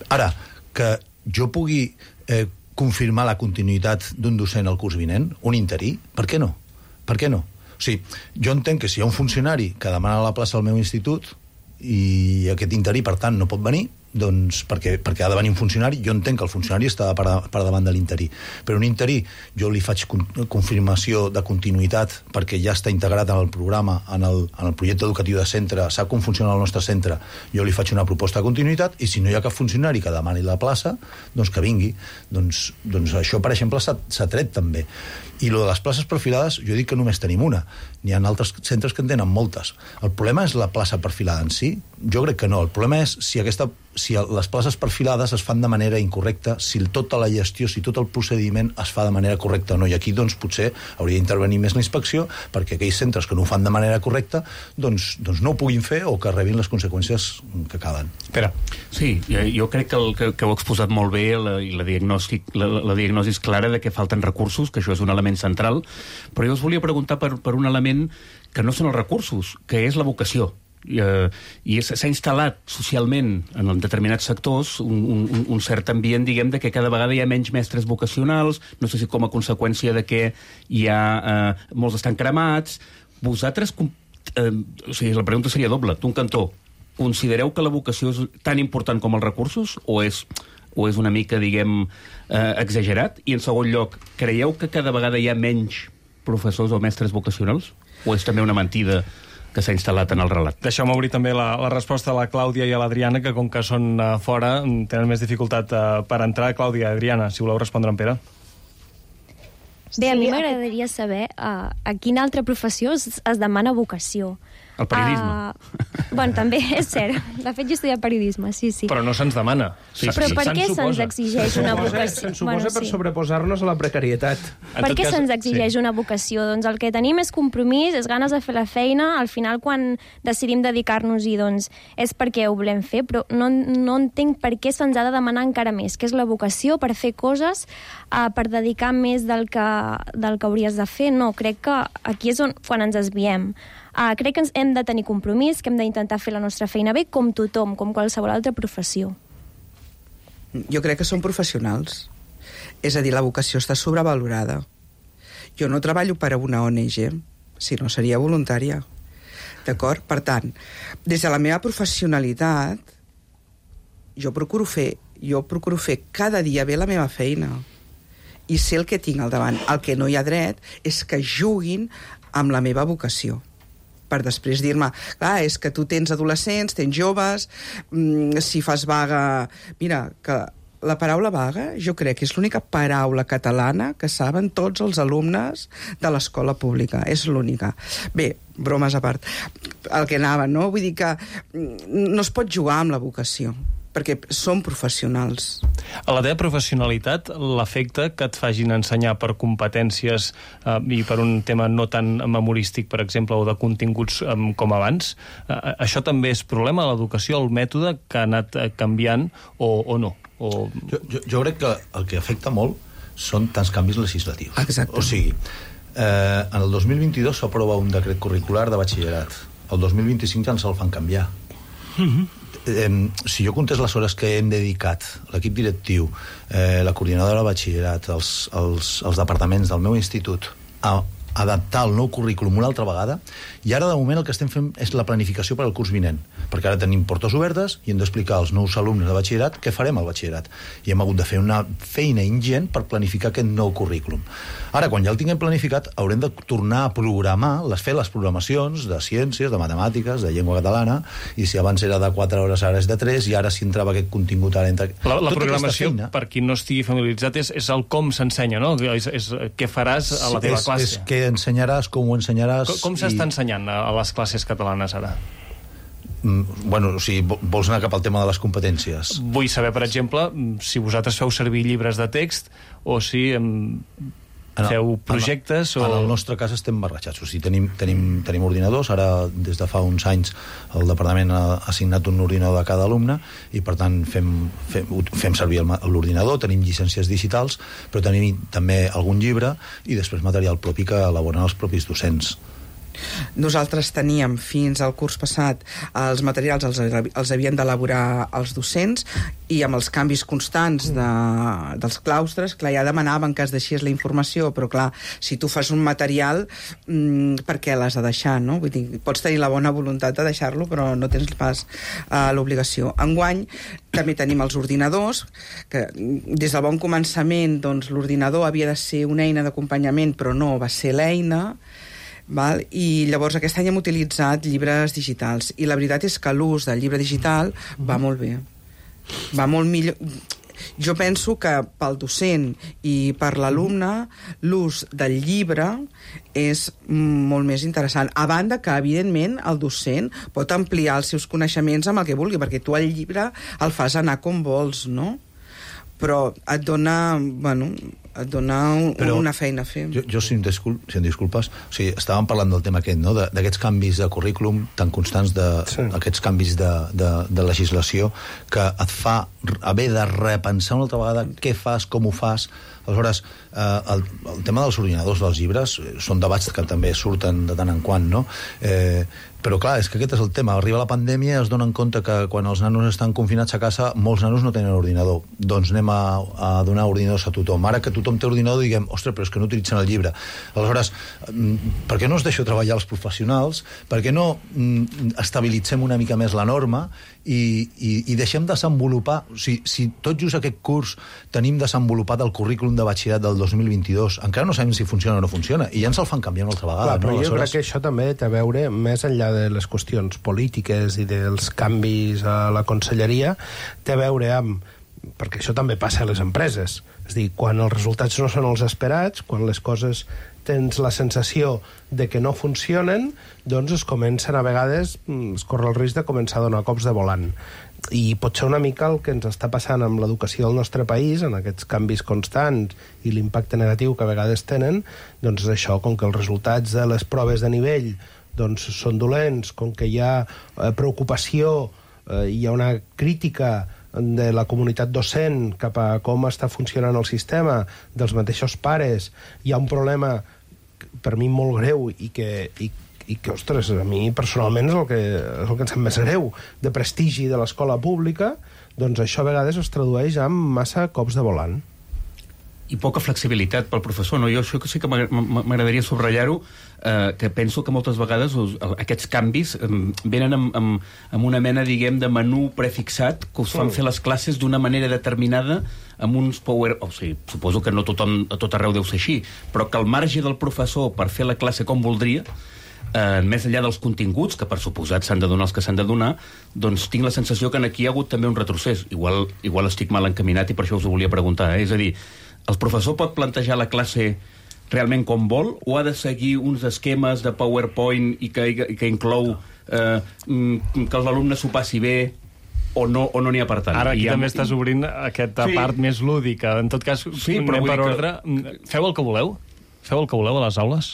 Ara, que jo pugui eh, confirmar la continuïtat d'un docent al curs vinent, un interí, per què no? Per què no? O sigui, jo entenc que si hi ha un funcionari que demana la plaça al meu institut i aquest interí, per tant, no pot venir, doncs, perquè, perquè ha de venir un funcionari. Jo entenc que el funcionari està per, per davant de l'interí, però un interí jo li faig con, confirmació de continuïtat perquè ja està integrat en el programa, en el, en el projecte educatiu de centre, sap com funciona el nostre centre, jo li faig una proposta de continuïtat, i si no hi ha cap funcionari que demani la plaça, doncs que vingui. Doncs, doncs això, per exemple, s'ha tret també. I lo de les places perfilades, jo dic que només tenim una. N'hi ha altres centres que en tenen moltes. El problema és la plaça perfilada en si? Jo crec que no. El problema és si, aquesta, si les places perfilades es fan de manera incorrecta, si tota la gestió, si tot el procediment es fa de manera correcta o no. I aquí, doncs, potser hauria d'intervenir més la inspecció perquè aquells centres que no ho fan de manera correcta doncs, doncs no ho puguin fer o que rebin les conseqüències que calen. Espera. Sí, jo crec que, el, que, que ho he exposat molt bé la, i la, diagnosi, la, la diagnosi és clara de que falten recursos, que això és un element central, però jo us volia preguntar per, per un element que no són els recursos, que és la vocació. I, eh, i s'ha instal·lat socialment en determinats sectors un, un, un cert ambient, diguem, de que cada vegada hi ha menys mestres vocacionals, no sé si com a conseqüència de que hi ha eh, molts estan cremats. Vosaltres, eh, o sigui, la pregunta seria doble. D'un cantó, considereu que la vocació és tan important com els recursos o és, o és una mica, diguem, eh, exagerat? I en segon lloc, creieu que cada vegada hi ha menys professors o mestres vocacionals? O és també una mentida que s'ha instal·lat en el relat? Deixeu-me obrir també la, la resposta a la Clàudia i a l'Adriana, que com que són uh, fora tenen més dificultat uh, per entrar. Clàudia, Adriana, si voleu respondre en Pere. Bé, a mi m'agradaria saber uh, a quina altra professió es, es demana vocació. El periodisme. Uh, bueno, també és cert. De fet, jo he estudiat periodisme, sí, sí. Però no se'ns demana. Sí, però per què se'ns exigeix una vocació? Se'ns suposa per sobreposar-nos a la precarietat. Per què se'ns exigeix una vocació? Doncs el que tenim és compromís, és ganes de fer la feina. Al final, quan decidim dedicar-nos-hi, doncs, és perquè ho volem fer, però no, no entenc per què se'ns ha de demanar encara més, que és la vocació per fer coses, uh, per dedicar més del que, del que hauries de fer. No, crec que aquí és on, quan ens desviem. Uh, crec que ens hem de tenir compromís, que hem d'intentar fer la nostra feina bé, com tothom, com qualsevol altra professió. Jo crec que són professionals. És a dir, la vocació està sobrevalorada. Jo no treballo per a una O N G, si no seria voluntària. D'acord? Per tant, des de la meva professionalitat, jo procuro fer, jo procuro fer cada dia bé la meva feina. I sé el que tinc al davant. El que no hi ha dret és que juguin amb la meva vocació, per després dir-me, clar, és que tu tens adolescents, tens joves, mmm, si fas vaga... Mira, que la paraula vaga jo crec que és l'única paraula catalana que saben tots els alumnes de l'escola pública, és l'única. Bé, bromes a part. El que anava, no? Vull dir que no es pot jugar amb la vocació, perquè són professionals. A la teva professionalitat, l'efecte que et fagin ensenyar per competències eh, i per un tema no tan memorístic, per exemple, o de continguts eh, com abans, eh, això també és problema, l'educació, el mètode que ha anat eh, canviant o, o no? O... Jo, jo, jo crec que el que afecta molt són tants canvis legislatius. Exacte. O sigui, eh, en el dos mil vint-i-dos s'aprova un decret curricular de batxillerat. El dos mil vint-i-cinc ja ens el fan canviar. Mm-hmm. Eh, si jo comptés les hores que hem dedicat, l'equip directiu, eh, la coordinadora de batxillerat, els, els, els departaments del meu institut, a adaptar el nou currículum una altra vegada, i ara de moment el que estem fent és la planificació per al curs vinent, perquè ara tenim portes obertes i hem d'explicar als nous alumnes de batxillerat què farem al batxillerat, i hem hagut de fer una feina ingent per planificar aquest nou currículum. Ara, quan ja el tinguem planificat, haurem de tornar a programar, les fer les programacions de ciències, de matemàtiques, de llengua catalana, i si abans era de quatre hores, ara és de tres, i ara si entrava aquest contingut ara entre... La, la programació, per qui no estigui familiaritzat, és, és el com s'ensenya, no? És, és què faràs a la teva és, classe. És què ensenyaràs, com ho ensenyaràs... Com, com s'està i... ensenyant a, a les classes catalanes ara? Mm, bueno, o sigui, vols anar cap al tema de les competències? Vull saber, per exemple, si vosaltres feu servir llibres de text o si... Em... feu projectes en, o... En el nostre cas estem barrejats, o sigui, tenim, tenim, tenim ordinadors, ara des de fa uns anys el departament ha assignat un ordinador a cada alumne i per tant fem, fem, fem servir l'ordinador, tenim llicències digitals, però tenim també algun llibre i després material propi que elaboren els propis docents. Nosaltres teníem fins al curs passat els materials els, els havien d'elaborar els docents i amb els canvis constants de, dels claustres, clar, ja demanaven que es deixés la informació, però clar, si tu fas un material, mmm, per què l'has de deixar, no? Vull dir, pots tenir la bona voluntat de deixar-lo, però no tens pas uh, l'obligació. Enguany també tenim els ordinadors, que des del bon començament doncs, l'ordinador havia de ser una eina d'acompanyament, però no va ser l'eina. Val? I llavors aquest any hem utilitzat llibres digitals i la veritat és que l'ús del llibre digital va molt bé, va molt millor. Jo penso que pel docent i per l'alumne l'ús del llibre és molt més interessant, a banda que evidentment el docent pot ampliar els seus coneixements amb el que vulgui, perquè tu el llibre el fas anar com vols, no? Però et dona, bueno, et dona un, Però una feina a fer. Jo, jo si, em discul si em disculpes, o sigui, estàvem parlant del tema aquest, no? d'aquests canvis de currículum tan constants, d'aquests sí. canvis de, de, de legislació, que et fa haver de repensar una altra vegada què fas, com ho fas. Aleshores, eh, el, el tema dels ordinadors dels llibres són debats que també surten de tant en quant, no? Eh, però clar, és que aquest és el tema. Arriba la pandèmia i es donen compte que quan els nanos estan confinats a casa, molts nanos no tenen ordinador. Doncs anem a, a donar ordinadors a tothom. Ara que tothom té ordinador, diguem, ostres, però és que no utilitzen el llibre. Aleshores, per què no es deixo treballar els professionals? Per què no mm, estabilitzem una mica més la norma i, i, i deixem desenvolupar... O sigui, si tot just aquest curs tenim desenvolupat el currículum de batxillerat del dos mil vint-i-dos, encara no sabem si funciona o no funciona, i ja ens el fan canviar una altra vegada. Clar, però no? jo crec que això també té a veure, més enllà de les qüestions polítiques i dels canvis a la conselleria, té a veure amb... perquè això també passa a les empreses. És a dir, quan els resultats no són els esperats, quan les coses tens la sensació de que no funcionen, doncs es comencen a vegades, es corre el risc de començar a donar cops de volant. I pot ser una mica el que ens està passant amb l'educació del nostre país, en aquests canvis constants i l'impacte negatiu que a vegades tenen, doncs és això, com que els resultats de les proves de nivell doncs són dolents, com que hi ha eh, preocupació, eh, hi ha una crítica de la comunitat docent cap a com està funcionant el sistema, dels mateixos pares, hi ha un problema per mi molt greu i que, i, i que ostres, a mi personalment és el que, és el que em sap més greu, de prestigi de l'escola pública, doncs això a vegades es tradueix en massa cops de volant. I poca flexibilitat pel professor, no? Jo això sí que m'agradaria subratllar-ho, eh, que penso que moltes vegades us, aquests canvis eh, venen amb, amb, amb una mena, diguem, de menú prefixat que us fan fer les classes d'una manera determinada amb uns power... O sigui, suposo que no tothom, a tot arreu deu ser així, però que el marge del professor per fer la classe com voldria, eh, més enllà dels continguts, que per suposat s'han de donar els que s'han de donar, doncs tinc la sensació que aquí hi ha hagut també un retrocés. Igual, igual estic mal encaminat i per això us ho volia preguntar, eh? És a dir, el professor pot plantejar la classe realment com vol o ha de seguir uns esquemes de PowerPoint i que, i que inclou eh, que l'alumne s'ho passi bé o no o no n'hi ha per tant? Ara aquí I també amb... estàs obrint aquesta sí. part més lúdica. En tot cas, sí, anem per ordre. Que... Feu el que voleu? Feu el que voleu a les aules?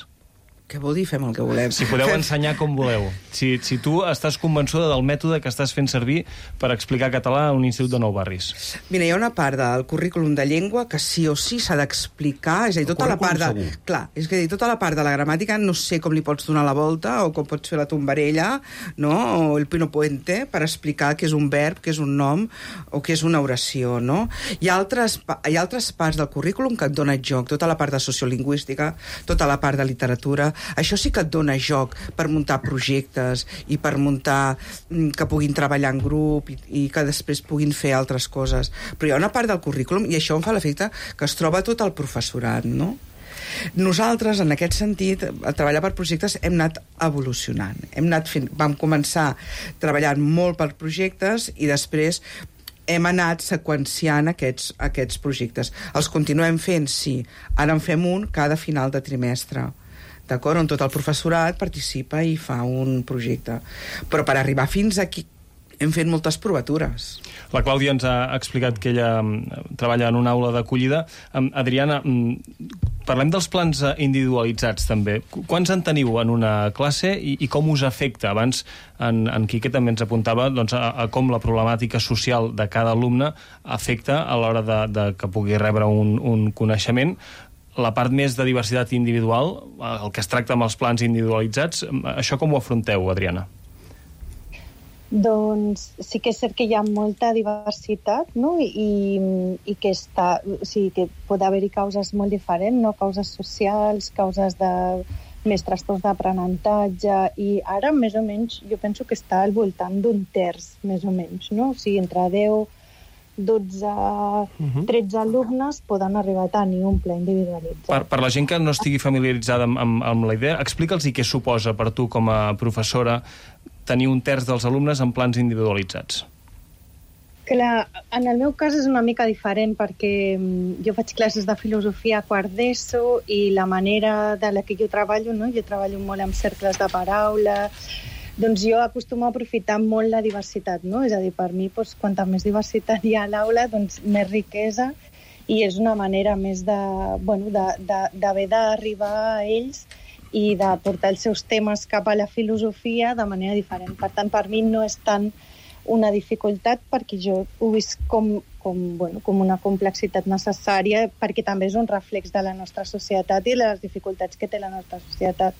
Què vol dir fem el que volem? Si podeu ensenyar com voleu. Si, si tu estàs convençuda del mètode que estàs fent servir per explicar català a un institut de Nou Barris. Mira, hi ha una part del currículum de llengua que sí o sí s'ha d'explicar, és a dir, tota la part de... Segur. Clar, és a dir, tota la part de la gramàtica no sé com li pots donar la volta o com pots fer la tombarella, no? O el pino puente per explicar què és un verb, què és un nom o què és una oració, no? Hi ha altres, hi ha altres parts del currículum que et dona joc, tota la part de sociolingüística, tota la part de literatura. Això sí que et dona joc per muntar projectes i per muntar que puguin treballar en grup i, i que després puguin fer altres coses. Però hi ha una part del currículum, i això em fa l'efecte que es troba tot el professorat, no? Nosaltres, en aquest sentit, a treballar per projectes hem anat evolucionant. Hem anat fent, vam començar treballant molt per projectes i després hem anat seqüenciant aquests, aquests projectes. Els continuem fent, sí. Ara en fem un cada final de trimestre, d'acord? On tot el professorat participa i fa un projecte. Però per arribar fins aquí hem fet moltes provatures. La Clàudia ens ha explicat que ella treballa en una aula d'acollida. Adriana, parlem dels plans individualitzats també. Quants en teniu en una classe i, i com us afecta? Abans en, en Quique també ens apuntava doncs, a, a com la problemàtica social de cada alumne afecta a l'hora de, de que pugui rebre un, un coneixement. la part més de diversitat individual, el que es tracta amb els plans individualitzats, això com ho afronteu, Adriana? Doncs sí que és cert que hi ha molta diversitat, no? I, i que, està, o sigui, que pot haver-hi causes molt diferents, no? Causes socials, causes de més trastorns d'aprenentatge, i ara més o menys jo penso que està al voltant d'un terç, més o menys, no? O sigui, entre deu, dotze, tretze alumnes poden arribar a tenir un pla individualitzat. Per, per la gent que no estigui familiaritzada amb, amb, amb la idea, explica'ls què suposa per tu com a professora tenir un terç dels alumnes en plans individualitzats. Clar, en el meu cas és una mica diferent perquè jo faig classes de filosofia a quart d'ESO i la manera de la que jo treballo, no? Jo treballo molt amb cercles de paraula, doncs jo acostumo a aprofitar molt la diversitat, no? És a dir, per mi, doncs, quanta més diversitat hi ha a l'aula, doncs més riquesa, i és una manera més de, bueno, d'haver d'arribar a ells i de portar els seus temes cap a la filosofia de manera diferent. Per tant, per mi no és tant una dificultat perquè jo ho visc com, com, bueno, com una complexitat necessària, perquè també és un reflex de la nostra societat i les dificultats que té la nostra societat.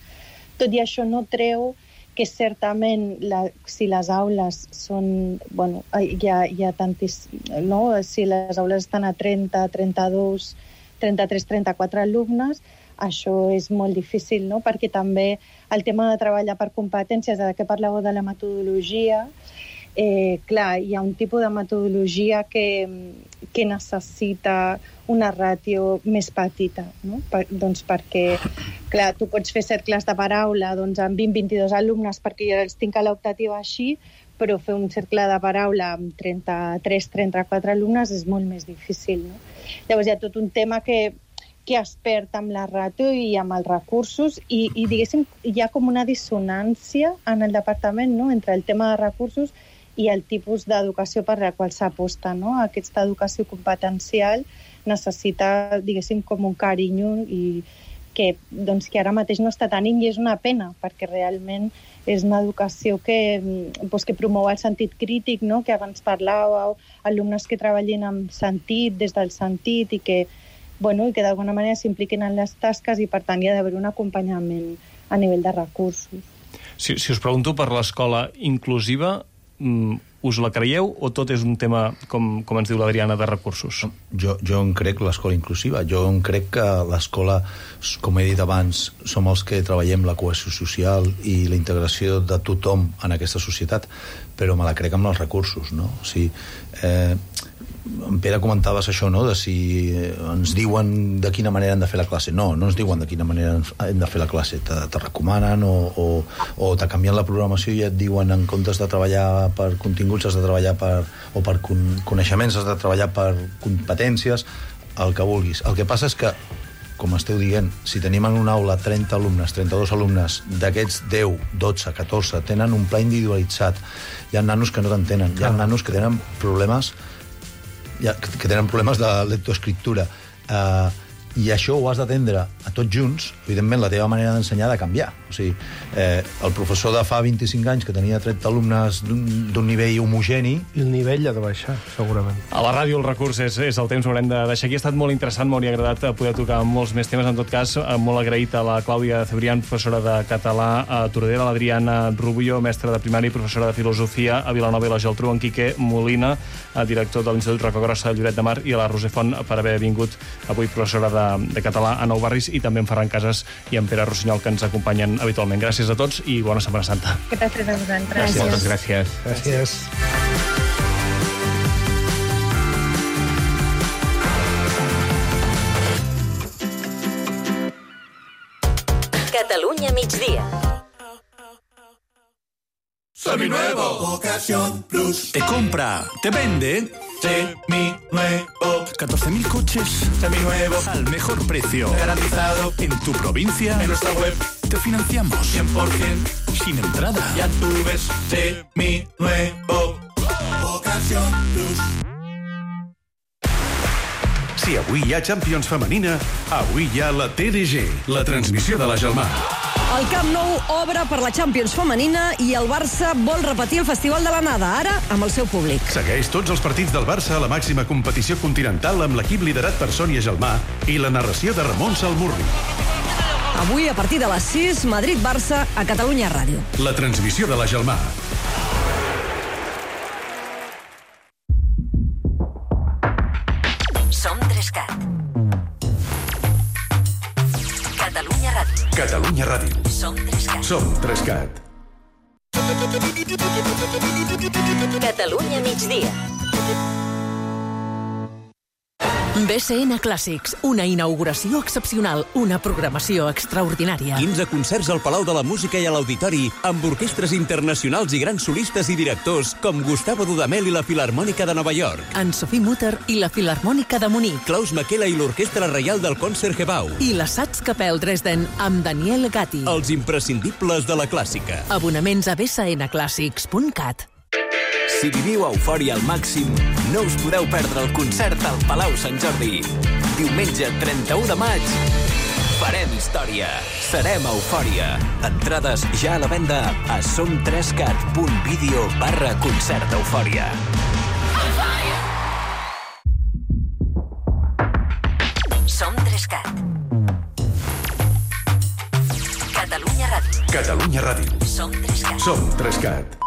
Tot i això no treu que certament la, si les aules són, bueno, hi ha, hi ha tantis, no? Si les aules estan a trenta, trenta-dos, trenta-tres, trenta-quatre alumnes, això és molt difícil, no? Perquè també el tema de treballar per competències, ara que parlàveu de la metodologia, eh, clar, hi ha un tipus de metodologia que, que necessita una ràtio més petita, no? Per, doncs perquè, clar, tu pots fer cercles de paraula doncs, amb vint a vint-i-dos alumnes perquè jo els tinc a l'optativa així, però fer un cercle de paraula amb trenta-tres, trenta-quatre alumnes és molt més difícil, no? Llavors hi ha tot un tema que que es perd amb la ràtio i amb els recursos i, i diguéssim, hi ha com una dissonància en el departament, no?, entre el tema de recursos i el tipus d'educació per la qual s'aposta, no? Aquesta educació competencial necessita, diguéssim, com un carinyo i que, doncs, que ara mateix no està tenint, i és una pena, perquè realment és una educació que, doncs, que promou el sentit crític, no?, que abans parlàveu, alumnes que treballin amb sentit, des del sentit, i que bueno, i que d'alguna manera s'impliquin en les tasques i, per tant, hi ha d'haver un acompanyament a nivell de recursos. Si, si us pregunto per l'escola inclusiva, us la creieu o tot és un tema, com, com ens diu l'Adriana, de recursos? Jo, jo en crec l'escola inclusiva. Jo en crec que l'escola, com he dit abans, som els que treballem la cohesió social i la integració de tothom en aquesta societat, però me la crec amb els recursos, no? O sigui, eh, en Pere comentaves això, no?, de si ens diuen de quina manera hem de fer la classe. No, no ens diuen de quina manera hem de fer la classe. Te, te recomanen o, o, o te canvien la programació i et diuen, en comptes de treballar per continguts has de treballar per, o per con, coneixements, has de treballar per competències, el que vulguis. El que passa és que, com esteu dient, si tenim en una aula trenta alumnes, trenta-dos alumnes, d'aquests deu, dotze, catorze tenen un pla individualitzat, hi ha nanos que no t'entenen, hi ha nanos que tenen problemes que tenen problemes de lectoescriptura, uh, i això ho has d'atendre a tots junts. Evidentment, la teva manera d'ensenyar ha de canviar. O sigui, eh, el professor de fa vint-i-cinc anys que tenia trenta alumnes d'un nivell homogeni... I el nivell ha de baixar, segurament. A la ràdio el recurs és, és el temps, ho haurem de deixar aquí. Ha estat molt interessant, m'hauria agradat poder tocar molts més temes. En tot cas, molt agraït a la Clàudia Cebrián, professora de català a Tordera, l'Adriana Rubio, mestra de primària i professora de filosofia a Vilanova i la Geltrú, en Quique Molina, director de l'Institut Rocagrossa de Lloret de Mar, i a la Roser Font per haver vingut avui professora de de català a Nou Barris, i també en Ferran Casas i en Pere Rossinyol, que ens acompanyen habitualment. Gràcies a tots i bona Setmana Santa. Gràcies a vosaltres. Moltes gràcies. Gràcies. Catalunya migdia. Seminuevo. Ocasión Plus. Te compra, te vende. Seminuevo. catorce mil coches seminuevos al mejor precio. Garantizado. En tu provincia. En nuestra web. Te financiamos. cien por ciento. Sin entrada. Ya tú ves. Seminuevo. Ocasión Plus. Si avui hi ha Champions femenina, avui hi ha la T D G, la transmissió de la Gelmar. El Camp Nou obre per la Champions femenina i el Barça vol repetir el Festival de l'Anada, ara amb el seu públic. Segueix tots els partits del Barça a la màxima competició continental amb l'equip liderat per Sònia Gelmar i la narració de Ramon Salmurri. Avui, a partir de les sis, Madrid-Barça a Catalunya Ràdio. La transmissió de la Gelmar. Som Trescat. Catalunya Ràdio. Catalunya Ràdio. Som Trescat. Som Trescat. Catalunya migdia. B C N Clàssics, una inauguració excepcional, una programació extraordinària. quinze concerts al Palau de la Música i a l'Auditori, amb orquestres internacionals i grans solistes i directors com Gustavo Dudamel i la Filharmònica de Nova York. Anne-Sophie Mutter i la Filharmònica de Munic. Klaus Makela i l'Orquestra Reial del Concertgebouw. I la Staatskapelle Dresden amb Daniel Gatti. Els imprescindibles de la clàssica. Abonaments a b c n clàssics punt cat. Si viviu eufòria al màxim, no us podeu perdre el concert al Palau Sant Jordi. Diumenge trenta-u de maig, farem història. Serem eufòria. Entrades ja a la venda a somtrescat.video barra concert eufòria. Som Trescat. Catalunya Ràdio. Catalunya Ràdio. Som Trescat. Som Trescat.